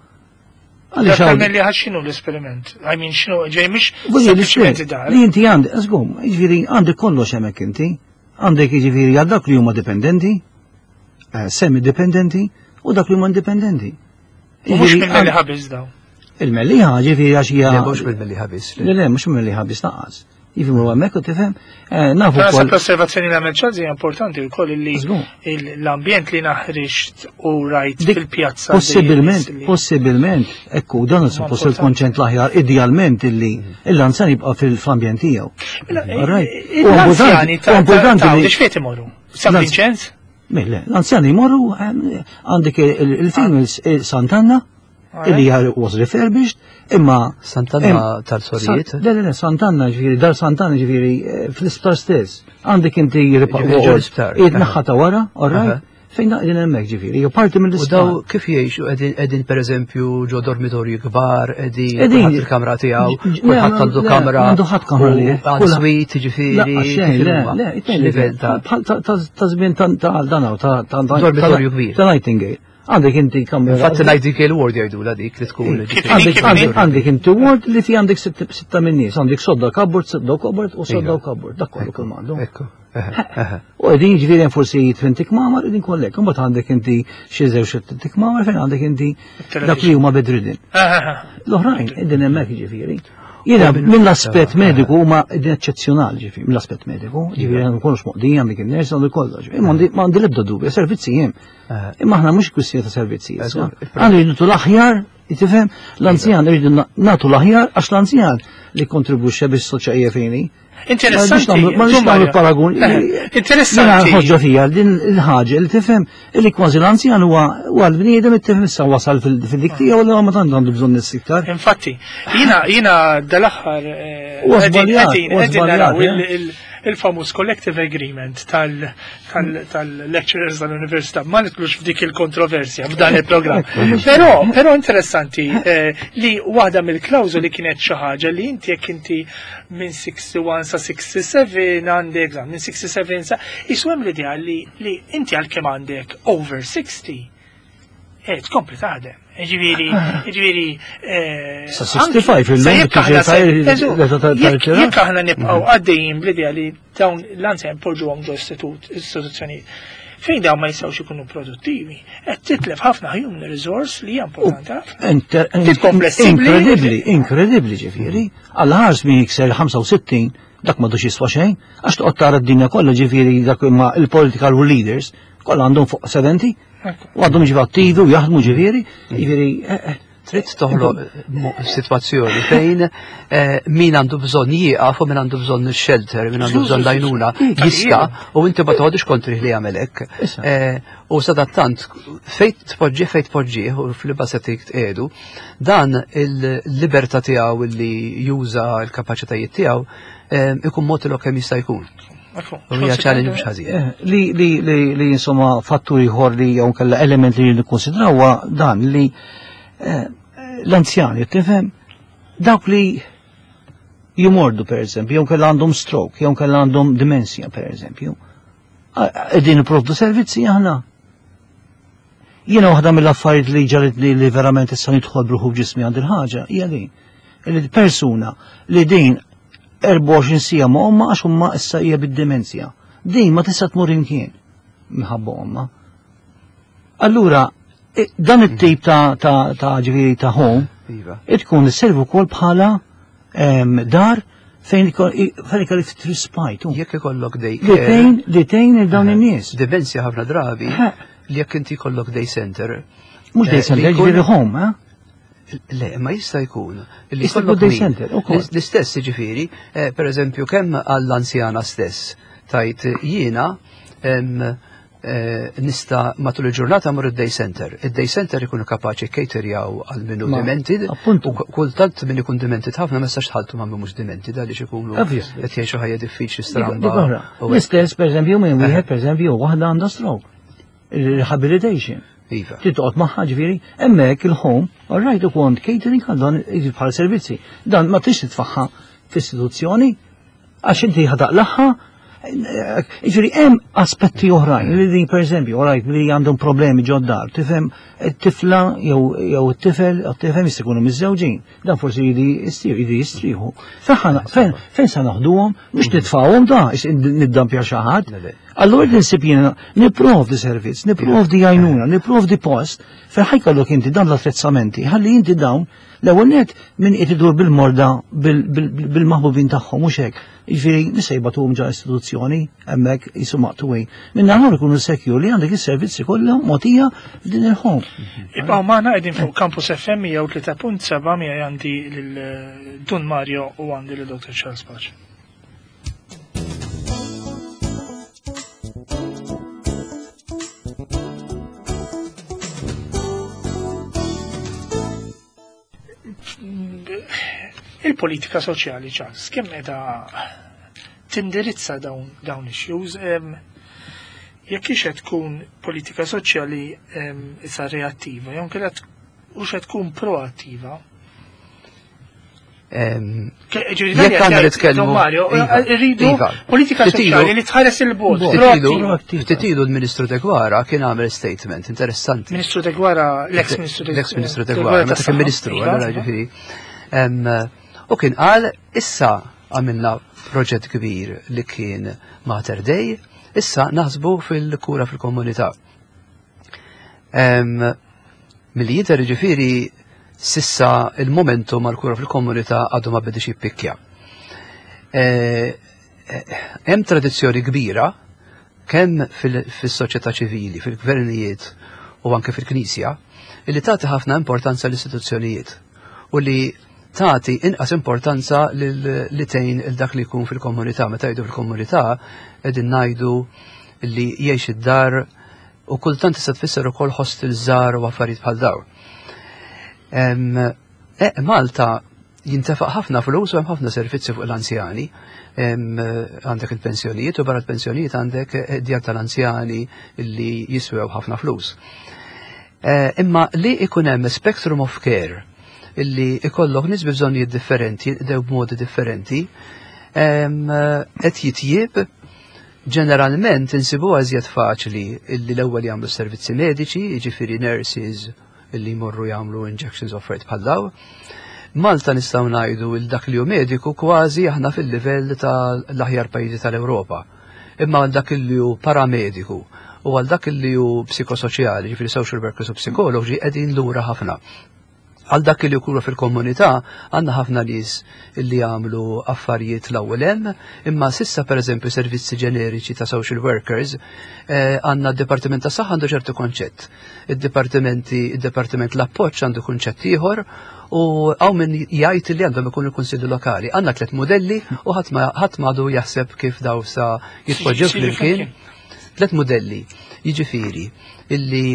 Għaliex hawn- Tal-Mellieħa x'inhu l-esperiment? I mean, x'inhu, ġej mhix Voglio sempliċement l-esperiment dar. li inti għandek, żgur, jiġifieri għandek kollox hemmhekk inti. Għandek jiġifieri għal dak li huma dipendenti, eh, semi-dipendenti, u dak li huma indipendenti. U mhux Jiġifieri, mill-Mellieħa biss daw. Il-Mellieħa ġifieri għax hija. Le, mhux mill-Mellieħa biss. Le, le, mhux mill-Mellieħa biss lanqas. Jiġifieri hemmhekk u tifhem, eh, nafu Naħseb wkoll. l-osservazzjoni li għamel Charles hija importanti wkoll li Żgur. il- l-ambjent li naħriġt u rajt Dik fil-pjazza. Possibilment, dejjem li- possibilment, ekku, dan suppost importanti. il-konċent l-aħjar, idealment illi l-anzjan jibqa' fil-ambjent tiegħu. Mela, All right. eh, U L-anzjani importanti- ta' u importanti ta' li- biex fejn imorru? San L-anz- Vincenz? Mille, l-anzjani jmorru eh, għandek il-females Sant'Anna, illi hija was refurbished, imma Sant'Anna tal-Sorijiet? San- Le, le, le, Sant'Anna ġifieri, dar Sant'Anna ġifieri eh, fl-isptar stess. Għandek inti Ġifieri ġo l-isptar. Id naħa ta' wara, all Aha. right? Fejn naqdin hemmhekk ġifieri, hija parti U mill-isptar. daw kif jgħixu qegħdin qegħdin pereżempju ġo dormitorji kbar, qegħdin Qegħdin- kulħadd il-kamra tiegħu, Ġ- kulħadd le, għandu le, kamra. għandu ħadd kamra u li. Għand suite ġifieri. La, xejn, kif le, huma? le, Livell ta' bħal ta' ta' ta' żmien ta' ta' dan ta' ta' Dormitorju kbir. Ta' Nightingale. Għandek inti kamra. Infatti Nightingale Ward jgħidu dik li tkun. Kif ġifieri. Għandek Kif għandek għandek inti ward li fi għandek sitt- sitta minn nies, għandek sodda cupboard, sodda cupboard u sodda Iva. cupboard, dak kollu kull m'għandu. Ekku. eħe, eħe. U qegħdin ġifieri hemm forsi tmien kmamar qegħdin kollek, imbagħad għandek inti xi żewġ xi kmamar fejn għandek inti dak li huma bedridden. L-oħrajn qegħdin hemmhekk ġifieri. Jiena mill-aspett mediku huma qegħdin eċċezzjonali ġifieri, mill-aspett mediku, ġifieri għandu kollox moqdija għandek in-nurse għandu kollox. Imma għandi- ma għandi l-ebda dubju, servizzi hemm. Eħe. Imma aħna mhux kwistjoni ta' servizzi. issa. Eżatt, il- Għandu jridu l-aħjar, tifhem, l-anzjan rridu nagħtu l-aħjar għax l-anzjan li kontribwixxa biex soċja fejni. Interessanti. Ma nix nagħmlu paragun. Interessanti. Jiena ħoġġa fija din il-ħaġa li tifhem li kważi l-anzjan huwa huwa l-bniedem tifhem issa wasal fil-dik tiegħu u ma tant għandu bżonn nies iktar. Infatti, jina, jina dal-aħħar eh, Huwa qegħdin- żbaljat, qegħdin- huwa qegħdin naraw żbaljat, il- il- il-famuż collective agreement tal- tal- tal-lecturers tal-università. Ma nidħlux f'dik il-kontroversja f'dan il-programm. Però, però interessanti eh, li waħda mill-klawżoli kienet xi ħaġa li inti jekk inti minn sitta u sittin sa sitta u sebgħin għandek, minn sitta u sebgħin sa jisu hemm l-idea li, li inti għalkemm għandek over sixty eh, tkompli taħdem. Ġifieri, ġifieri. eh, Sa sitta u ħamsin illum sa jekk tiġi aħna se- tajr- eżu, l-età ta' jekk- tal-irtirar. Jekk aħna nibqgħu għaddejjin bl-idea li dawn l-anzjan poġġuhom ġo istitut, istituzzjonijiet, fejn dawn ma jistgħux ikunu produttivi, qed titlef ħafna human resource li hija importanti ħafna. Inter- Tkun flessibbli. Inkredibbli, inkredibbli ġifieri. Għal ħars min jikser ħamsa u sittin dak m'għadux jiswa xejn, għax toqgħod tara d-dinja kollha ġifieri dak imma il-political leaders kollha għandhom fuq sebgħin u għandhom ġifieri attivi u jaħdmu ġifieri, ġifieri eh, eh, Trid toħloq mo- sitwazzjoni fejn eh, min għandu bżonn jieqaf u min għandu bżonn shelter, min għandu bżonn l-għajnuna jista' u inti ma toħodix kontri li jagħmel hekk. Issa. Eh, U sadattant fejn tpoġġi fejn tpoġġih u fil-basetik tqiegħdu, dan il-libertà tiegħu li juża l-kapaċitajiet tiegħu eh, ikun mod kemm jista' jkun. U hija challenge mhux ħażin. Eh, Li, li, li, li insomma fattur ieħor li jew kella element li nikkonsidraw huwa dan li eh, l-anzjani, tifhem, dawk li jimordu per eżempju, jew kella għandhom stroke, jew kella għandhom demenzja per eżempju. Qegħdin nipprovdu servizzi aħna. Jiena waħda mill-affarijiet li ġarit li, li verament issa nidħol bruħu ġismi għand il-ħaġa hija din. Li persuna li din erbgħa u għoxrin siegħa ma' ommha għax ommha issa hija bid-demenzja. Din ma tista' tmur imkien minħabba ommha. Allura, dan it-tip ta' ta' ta' ġifieri ta' home Iva. tkun isservi wkoll bħala dar fejn ikolli ftit respite. Jekk ikollok day Li tgħin li tgħin il dawn in-nies. Demenzja ħafna drabi li jekk inti jkollok day center. Mhux day center, ġifieri home, eh? Le, ma jista' jkun. Li jkollok day center, ukoll. L-istess ġifieri, per eżempju, kemm għall-anzjana stess tajt jiena nista matul il-ġurnata mur id-day center. Id-day center ikunu kapaċi caterjaw għal minnu demented. U kultant min ikun demented ħafna ma jistax tħalltu ma' mhux demented għaliex ikunu qed jgħixu ħajja diffiċli stramba. L-istess, per eżempju, minn wieħed, per eżempju, waħda għandha stroke. Rehabilitation. Iva. Titqgħod magħha ġifieri, hemmhekk il-home, all right, ukoll catering għal dan bħala servizzi. Dan ma tix titfaħħa f'istituzzjoni għax inti ħadaqlaħħa. Ġifieri hemm aspetti oħrajn li din pereżempju, all right, li għandhom problemi ġod-dar, tifhem it-tifla jew jew it-tifel, tifhem jista' jkunu miżżewġin. Dan forsi jidi jidi jistrieħu. Fejn fejn sa naħduhom biex nitfgħuhom da niddampja xi ħadd. Allura ninsib jiena nipprovdi servizz, nipprovdi għajnuna, nipprovdi post fejn ħajkollok inti dan l-attrezzamenti, ħalli inti dawn l-ewwel net min qed idur bil-morda bil-maħbubin tagħhom mhux hekk. Jiġifieri nista' jibgħatuhom ġa istituzzjoni hemmhekk jisu maqtuwin. Minn naħa ikunu secure li għandek is-servizzi kollha mogħtija f'din il-home. Ibqgħu magħna qegħdin fuq Campus F M mija u tlieta punt seba' miegħi għandi lil Dun Mario u għandi lil Doctor Charles Pace. Il-politika soċjali, Charles, kemm qiegħda tindirizza dawn dawn issues, jekk hix qed tkun politika soċjali issa reattiva, jew inkella hux qed tkun proattiva. Jekk għandna nitkellmu Mario, rridu politika soċjali li tħares il-bogħod. Ftit ilu l-Ministru Deguara kien għamel statement interessanti. Ministru Deguara, l-ex-Ministru L-ex-Ministru Deguara, meta kien Ministru, allura ġifieri. U kien qal issa għamilna proġett kbir li kien Mater Dei, issa naħsbu fil-kura fil-komunità. Milli jidher ġifieri sissa il-momentum għal-kura fil-komunità għadu ma bedix jippikkja. Hemm tradizzjoni kbira kemm fis-soċjetà ċivili, fil-gvernijiet u anke fil-Knisja, li tagħti ħafna importanza l-istituzzjonijiet u li tagħti inqas importanza li tgħin il dak li jkun fil-komunità. Meta jgħidu fil-komunità qegħdin ngħidu li jgħix id-dar u kultant tista' tfisser ukoll hostel żgħar u affarijiet bħal dawn. Malta jintefaq ħafna flus u hemm ħafna servizzi fuq l-anzjani. Għandek il-pensjonijiet u barra l-pensjonijiet għandek djar tal-anzjani li jiswew ħafna flus. Imma li ikun hemm spectrum of care illi ikollok nies bi bżonnijiet differenti, jinqdew b'modi differenti, qed jitjieb. Ġeneralment insibuha iżjed faċli illi l-ewwel jagħmlu servizzi mediċi, jiġifieri nurses illi jmorru jagħmlu injections offered bħal daw. Malta nistgħu ngħidu il dak li hu mediku kważi aħna fil-livell tal-aħjar pajjiżi tal-Ewropa. Imma għal dak li hu paramediku u għal dak li hu psikosoċjali, jiġifieri social workers u psikoloġi, qegħdin lura ħafna. Għal dak li jkunu fil-komunità għandna ħafna nies li jagħmlu affarijiet l-ewwel hemm, imma sissa pereżempju servizzi ġeneriċi ta' social workers għandna d-Dipartiment tas Saħħa għandu ċertu konċett. Id-dipartimenti, id-Dipartiment l-Appoġġ għandu kunċett ieħor u hawn min jgħid li għandhom ikunu l-Kunsilli Lokali. Għandna tliet modelli u ħadd ma għadu jaħseb kif daw sa jitpoġġew flimkien. Tliet modelli, jiġifieri illi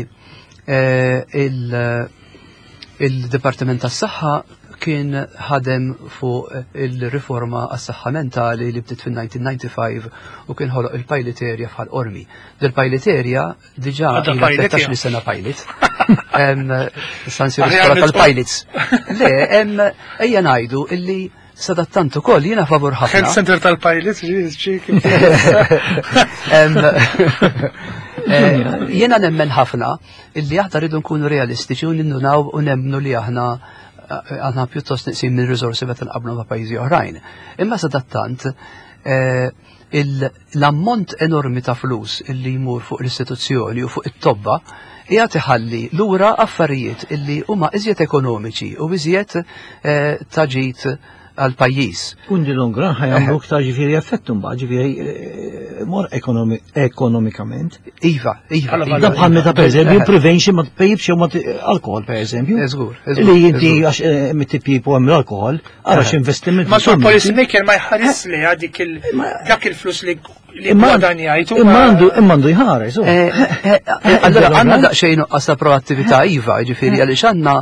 il Il-Dipartiment tas-Saħħa kien ħadem fuq il-riforma għas-saħħa mentali li bdiet fin-nineteen ninety-five u kien ħoloq il-pilot area f'Ħal Qormi. Dil-pilot area diġà ilha tlettax-il sena pilot. Sansi l-iskola tal-pilots. Le, ejja ngħidu illi sadattant ukoll jiena favur ħafna. Health center tal-pilots, ġi Jiena nemmen ħafna illi aħna rridu nkunu realistiċi u nindunaw u nemmnu li aħna għandna pjuttost neqsin minn riżorsi meta nqabblu ma' pajjiżi oħrajn. Imma sadattant eh, l-ammont enormi ta' flus illi jmur fuq l-istituzzjoni u fuq it-tobba qiegħed iħalli lura affarijiet illi huma iżjed ekonomiċi u iżjed eh, ta' ġid għal pajjiż. In the long run ħa jagħmlu iktar ġifieri effettu mbagħad ġifieri eh, more ekonomikament. Iva, iva. Iva. Da bħal meta pereżempju prevention ma tpejjipx jew ma alkohol pereżempju. Eżgur. Li inti għax eh, mit-tipjip u hemm l-alkohol, ara x'investiment. Ma sur policy maker ma jħares li dik dak il-flus li li gwadanjajtu. Imma għandu imma għandu jħares. Allora għandna daqsxejn nuqqas ta' proattività iva, ġifieri għaliex għandna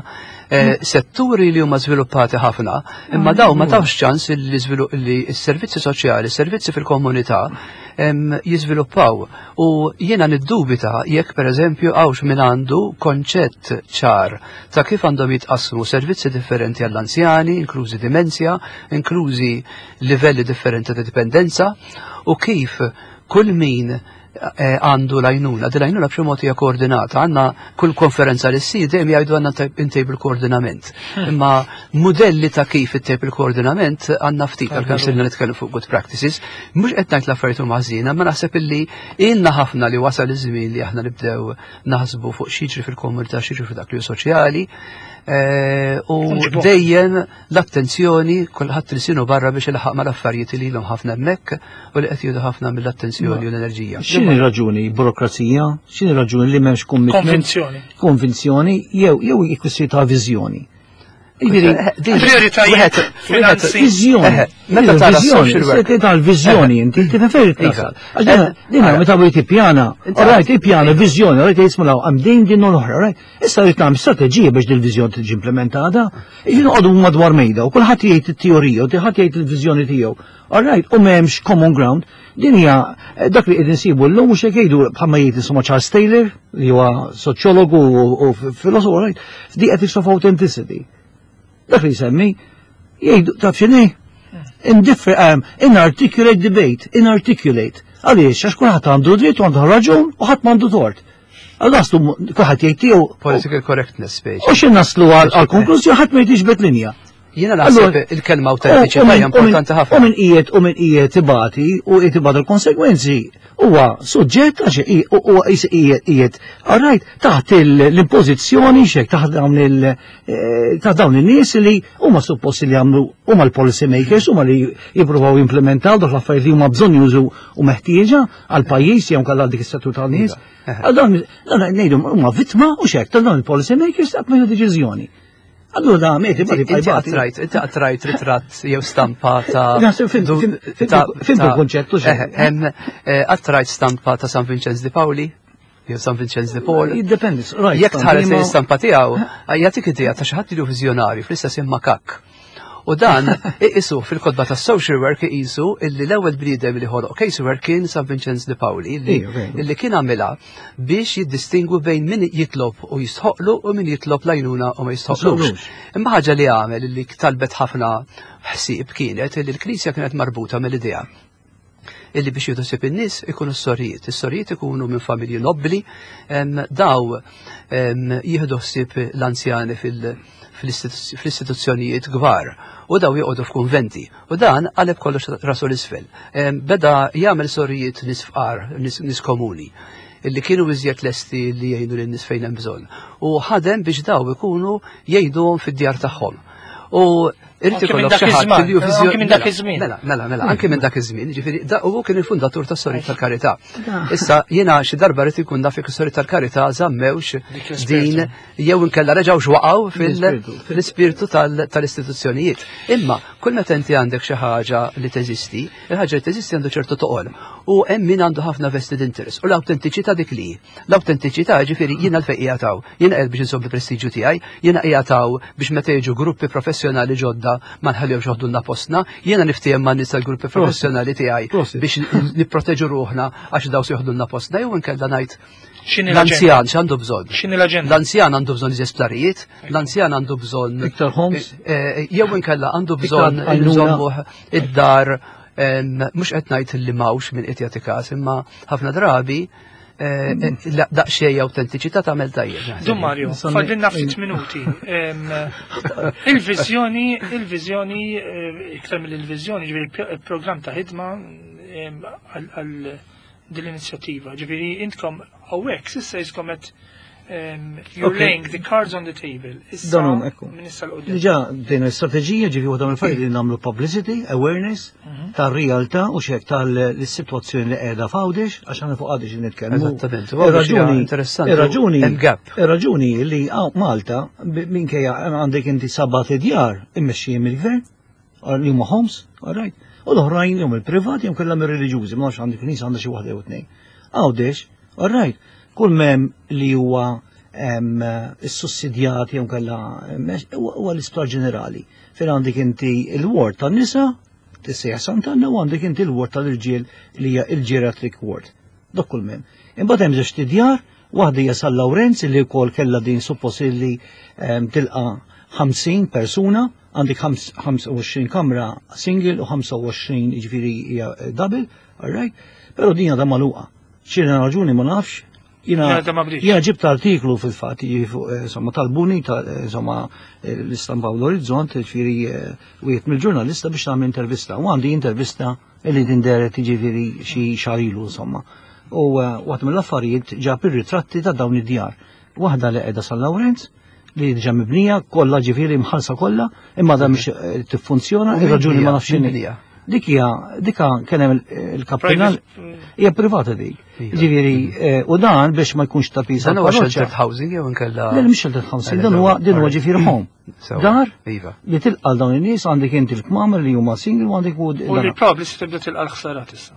eh, setturi li huma żviluppati ħafna, imma daw ma tawx ċans li s-servizzi soċjali, s-servizzi fil-komunità jiżviluppaw. U jiena niddubita jekk pereżempju hawnx min għandu konċett ċar ta' kif għandhom jitqasmu servizzi differenti għall-anzjani, inklużi dimenzja, inklużi livelli differenti ta' dipendenza, u kif kull min eh, għandu l-għajnuna, din l-għajnuna b'xi mod hija koordinata, għandna kull konferenza li ssir dejjem jgħidu għandna intejbu l-koordinament. Hmm. Imma modelli ta' kif ittejbu il-koordinament għandna ftit għalkemm sirna nitkellmu fuq good practices, mhux qed ngħid l-affarijiet huma ħażina, ma naħseb illi ilna ħafna li wasal iż-żmien li aħna nibdew naħsbu fuq x'jiġri fil-komunità, x'jiġri f'dak li hu soċjali. Eh, u dejjem l-attenzjoni kulħadd ilsienu barra biex ilħaq mal-affarijiet li ilhom ħafna hemmhekk u li qed jieħdu ħafna mill-attenzjoni u l-enerġija. X'inhi raġuni burokrazija? X'inhi raġuni li m'hemmx commitment? Konvinzjoni. Konvinzjoni jew jew ikkwistjoni ta' viżjoni. Prioritajiet, finanzi. Viżjoni. Meta tara social work. Meta l-viżjoni inti tifhem fejn tasal. Dina meta wieħed ippjana, alright ippjana viżjoni, alright jismu hemm din din u l-oħra, right? Issa rrid nagħmel strateġija biex din il-viżjoni tiġi implementata. Jiġi noqogħdu madwar mejda u kulħadd jgħid it-teorija u kulħadd jgħid il-viżjoni tiegħu. Alright, u m'hemmx common ground. Din hija dak li qegħdin insibu llum mhux hekk jgħidu bħalma jgħid insomma Charles Taylor li huwa soċjologu u filosofu, right? The ethics of authenticity. Dak li jsemmi, jgħidu taf x'inhi? Indiffer, um, inarticulate debate, inarticulate. Għaliex, għax kulħadd għandu dritt u għandu raġun u ħadd m'għandu tort. Għal naslu kulħadd jgħid tiegħu. Political correctness speċi. U xi naslu għal konklużjoni ħadd ma jgħidx linja. Jiena naħseb il-kelma autentiċità hija importanti ħafna. U min qiegħed u min qiegħed ibati u qiegħed ibati l-konsegwenzi huwa suġġett għax huwa qiegħed alright taħt l-impożizzjoni xek taħt dawn il eh, taħt dawn in-nies li huma supposti li jagħmlu huma l-policy makers huma li jippruvaw jimplementaw dak l-affarijiet li huma bżonn jużu u meħtieġa għal pajjiż jew kellha dik is-settur tan-nies. Għal dawn ngħidu huma vittma u xek ta' dawn il-policy makers qatt ma deċiżjoni. Allura da meti ma Inti qatt inti qatt rajt ritratt jew stampa ta' Fhimt il-konċettu Qatt rajt stampa ta' San Vincenz di Pauli? Jew San Vincenz di Paul? Jiddependi, Jekk tħares l-istampa tiegħu, jagħtik idea ta' xi ħadd li hu viżjonarju fl-istess makak. U dan iqisu fil-kotba ta' social work iqisu illi l-ewwel bniedem li ħoloq case work kien San Vincenz de Pauli illi kien għamilha biex jiddistingwu bejn min jitlob u jistħoqlu u min jitlob l-għajnuna u ma jistħoqlux. Imma ħaġa li għamel illi talbet ħafna ħsieb kienet illi l-Knisja kienet marbuta mill-idea illi biex jieħdu ħsieb in-nies ikunu s-sorijiet. Is-sorijiet ikunu minn familji nobbli, daw jieħdu ħsieb l-anzjani fil-istituzzjonijiet kbar u daw joqogħdu f'kunventi. U dan qaleb kollox rasu l-isfel. Beda jagħmel sorijiet nies fqar, nies komuni illi kienu iżjed lesti li jgħinu lin-nies fejn hemm bżonn. U ħadem biex daw ikunu jgħinuhom fid-djar tagħhom. U irid ikollok xi ħadd li hu Anki minn dak iż-żmien. Mela, mela, mela, anki minn dak iż-żmien, ġifieri da huwa kien il-fundatur tas-Sorijiet tal-Karità. Issa jiena xi darba rrid ikun naf jekk is-Sorijiet tal-Karità żammewx din jew inkella reġgħux waqgħu fil-ispirtu tal-istituzzjonijiet. Imma kull meta inti għandek xi ħaġa li teżisti, il-ħaġa li teżisti għandu ċertu toqol. U hemm min għandu ħafna vested interest. U l-awtentiċità dik li. L-awtentiċità ġifieri jiena l-fejn qiegħed jiena qed biex inżomm il-prestiġju tiegħi, jiena qiegħed biex meta jiġu gruppi professjonali ġodda ma nħallihomx joħdulna postna, jiena niftiehem ma' nies tal-gruppi professjonali tiegħi biex nipproteġu ruħna għax daw se joħdulna postna jew inkella ngħid l-anzjan x'għandu bżonn? X'inhi l-aġenda? L-anzjan għandu bżonn iżjed sptarijiet, l-anzjan għandu bżonn iktar homes, jew inkella għandu bżonn nżommuh id-dar mhux qed ngħid li m'hawnx min qed jagħti każ, imma ħafna drabi eh, eh, daqsxejn autentiċità tagħmel tajjeb. Dun Mario, Insomma, fadlilna ftit minuti. Em, Il-viżjoni, il-viżjoni, eh, iktar mill-viżjoni, ġifieri il-programm ta' ħidma em, għal għal din l-inizjattiva. Ġifieri intkom hawnhekk s'issa jiskom qed em, you're Okay. laying the cards on the table. Issa Dan hum, ekku. Minn issa 'l quddiem. Diġà din l-istrateġija ġifi waħda mill-affarijiet li nagħmlu publicity, awareness tar-realtà u xek tal-sitwazzjoni li qiegħda f'Għawdex, għax aħna fuq Għawdex nitkellmu. Eżattament, u Għawdex hija Ir-raġuni interessanti, Ir-raġuni hemm gap. Ir-raġuni li għaw Malta b- minkejja għandek inti sebat idjar immexxijin mill-gvern, li huma homes, all right. U l-oħrajn jum il-privat jew kellha mir-reliġjużi, ma nafx għandek knisja għandha xi waħda jew tnejn. Għawdex, all right, kull mem li huwa em, is-sussidjati jew kellha huwa huwa l-isptar ġenerali. Fejn għandek inti il-ward tan-nisa, tissejjaħ Sant'Anna, u għandek inti il-ward tal-irġiel li hija il-geriatric ward. Dak kull mem. Imbagħad hemm żewġt idjar, waħda hija San Lawrenz li wkoll kellha din suppost li em, tilqa' ħamsin persuna, għandek ħams- ħamsa u għoxrin kamra single u ħamsa u għoxrin ġifieri hija eh, double, all right? Però din għadha magħluqa. X'inhi raġuni ma nafx. Jiena Għadha ma bdietx. jiena ġibt artiklu fil-fatt, jiġifieri fuq, eh, insomma, talbuni ta' eh, insomma eh, l-istampa u l-Orizzont, ġifieri eh, wieħed mill-ġurnalista biex nagħmel intervista. U għandi intervista li tinderet jiġifieri xi xahar ilu insomma. U eh, waħda mill-affarijiet ġab ir-ritratti ta' dawn id-djar. Waħda li qiegħda San Lawrenz, li diġà mibnija, kollha ġifieri mħallsa kollha, imma da mhix eh, tiffunzjona, U min ir-raġuni hija? ma nafx Min x'inhi. hija? Dik hija, dika kien hemm il-kappillan, hija privata dik. Iva. Ġifieri, eh, u dan biex ma jkunx ta' piż Dan huwa għall-parroċċa. sheltered housing jew inkella. Le, mhix sheltered housing, dan huwa din huwa ġifieri home. Sewa. Dar Iva. li tilqa' dawn in-nies, għandek inti l-kmamar li huma single u għandek u U li probabli se tibda tilqa' l-ħsarat issa.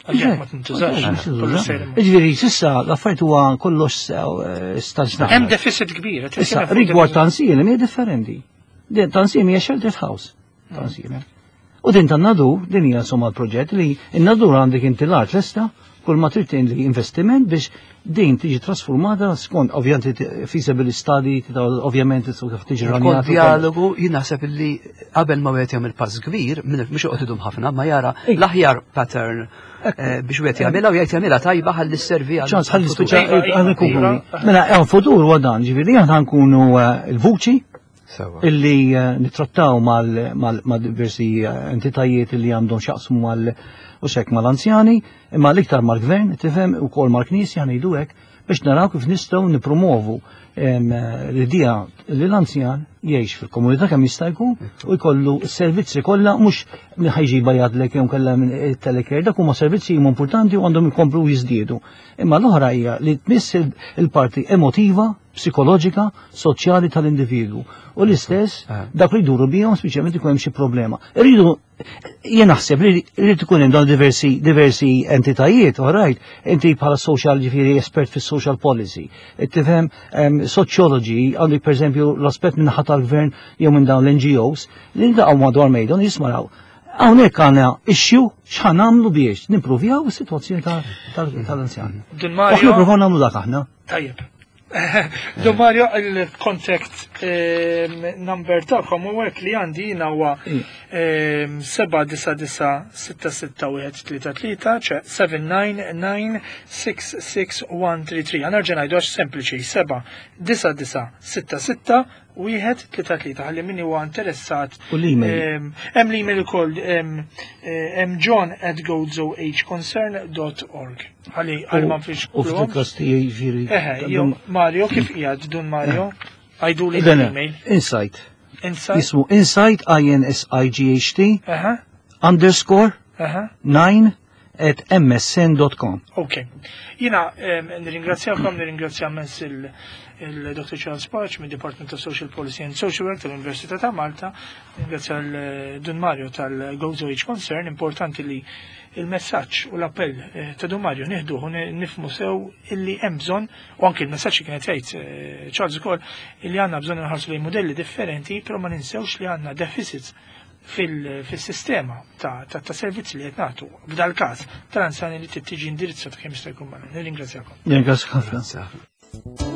Għalhekk ma tintużax. Kollu sejr imur. Ġifieri, s'issa l-affarijiet huwa kollox eh, staġnat. Hemm deficit kbir. qed Issa, titkellem fuq rigward deficit. Ta' Għajnsielem hija differenti. Din Ta' Għajnsielem hija sheltered house. Ta' Għajnsielem. U din tan-Nadur, din hija insomma l-proġett li n-Nadur għandek inti l-art lesta, kull ma trid li investiment biex din tiġi trasformata skont ovvjament feasibility study, ovvjament kif tiġi Kont rranjata. dialogu, jien naħseb illi qabel ma wieħed jagħmel pass kbir, minn mhux joqgħod idum ħafna, ma jara Ej. l-aħjar pattern eh, biex wieħed jagħmilha u jgħid jagħmilha tajba ħalli sservi għal ċans ħalli futur. speċa Iva, iva, għal nkunu. iva. Mela, għal futur huwa dan, ġifieri aħna nkunu eh, il-vuċi Sewa. illi eh, nittrattaw mal, mal, mal diversi eh, entitajiet illi għandhom x'jaqsmu mal u xek mal-anzjani, imma l-iktar mal-gvern, tifhem, u kol mal-knisja ngħidu hekk, biex naraw kif nistgħu nipromovu em, eh, l-idea li l-anzjan jgħix fil-komunità kemm jista' jkun u jkollu s-servizzi kollha, mhux minn ħa jġibha jgħadlek jew kellha minn telecare, dak huma servizzi huma importanti u għandhom ikomplu jiżdiedu. Imma l-oħra hija li tmiss il- il-parti emotiva, psikoloġika, soċjali tal-individwu. U l-istess Eh. dak li jduru bihom speċjalment ikun hemm xi problema. Irridu jien naħseb li rrid ikun hemm dawn diversi diversi entitajiet, all right, inti bħala social ġifieri espert fis-social policy, tifhem em, sociology, għandek pereżempju l-aspett minn naħa tal-gvern jew minn dawn l-N G Os li niltaqgħu madwar mejda jismaraw. Hawnhekk għandna issue, x'ħa nagħmlu biex nimprovjaw is-sitwazzjoni tal-anzjan. Dun U aħna Mario, provaw nagħmlu dak aħna. Tajjeb. Dun Mario, il-contact ehm, number tagħkom u hekk li għandi jiena huwa ehm, seba' disa' disa' sitta sitta wieħed tlieta tlieta, ċe seba' disa' disa' sitta sitta wieħed tlieta tlieta. Ħa nerġa' ngħidu għax sempliċi: seba' disa' disa' sitta sitta wieħed tlieta tlieta, ħalli min huwa interessat. U l-email. Ehm, Hemm l-email ukoll, ehm, eh, hemm john at gozoageconcern dot org. Ħalli għal ma fiex U fil-kas tiegħi ġifieri. Eħe, jo, Mario, kif qiegħed Dun Mario? Għidu li Dan, l-email. Insight. Insight. Jismu Insight, I N S I G H T, Eħe, underscore, eħe. nine at M S N dot com. Ok. Jiena em, nirringrazzjakom, nirringrazzja immens il-Doctor Charles Pace mid Department of Social Policy and Social Work tal-Università ta' Malta, nirringrazzja l-Dun Mario tal-Gozo Age Concern. Importanti li il-messaġġ u l-appell eh, ta' Dun Mario nieħduh u nifhmu sew illi hemm bżonn, u anki il-messaġġ li kienet jgħid eh, Charles ukoll, illi għandna bżonn nħarsu lejn modelli differenti, però ma ninsewx li għandna deficits fil-sistema ta', ta, ta' servizzi li qed nagħtu. F'dal każ tal-anzjani li tiġi indirizzata kemm jista' jkun malajr. Nirringrazzjakom. Nirringrazzjak ħafna. Grazie.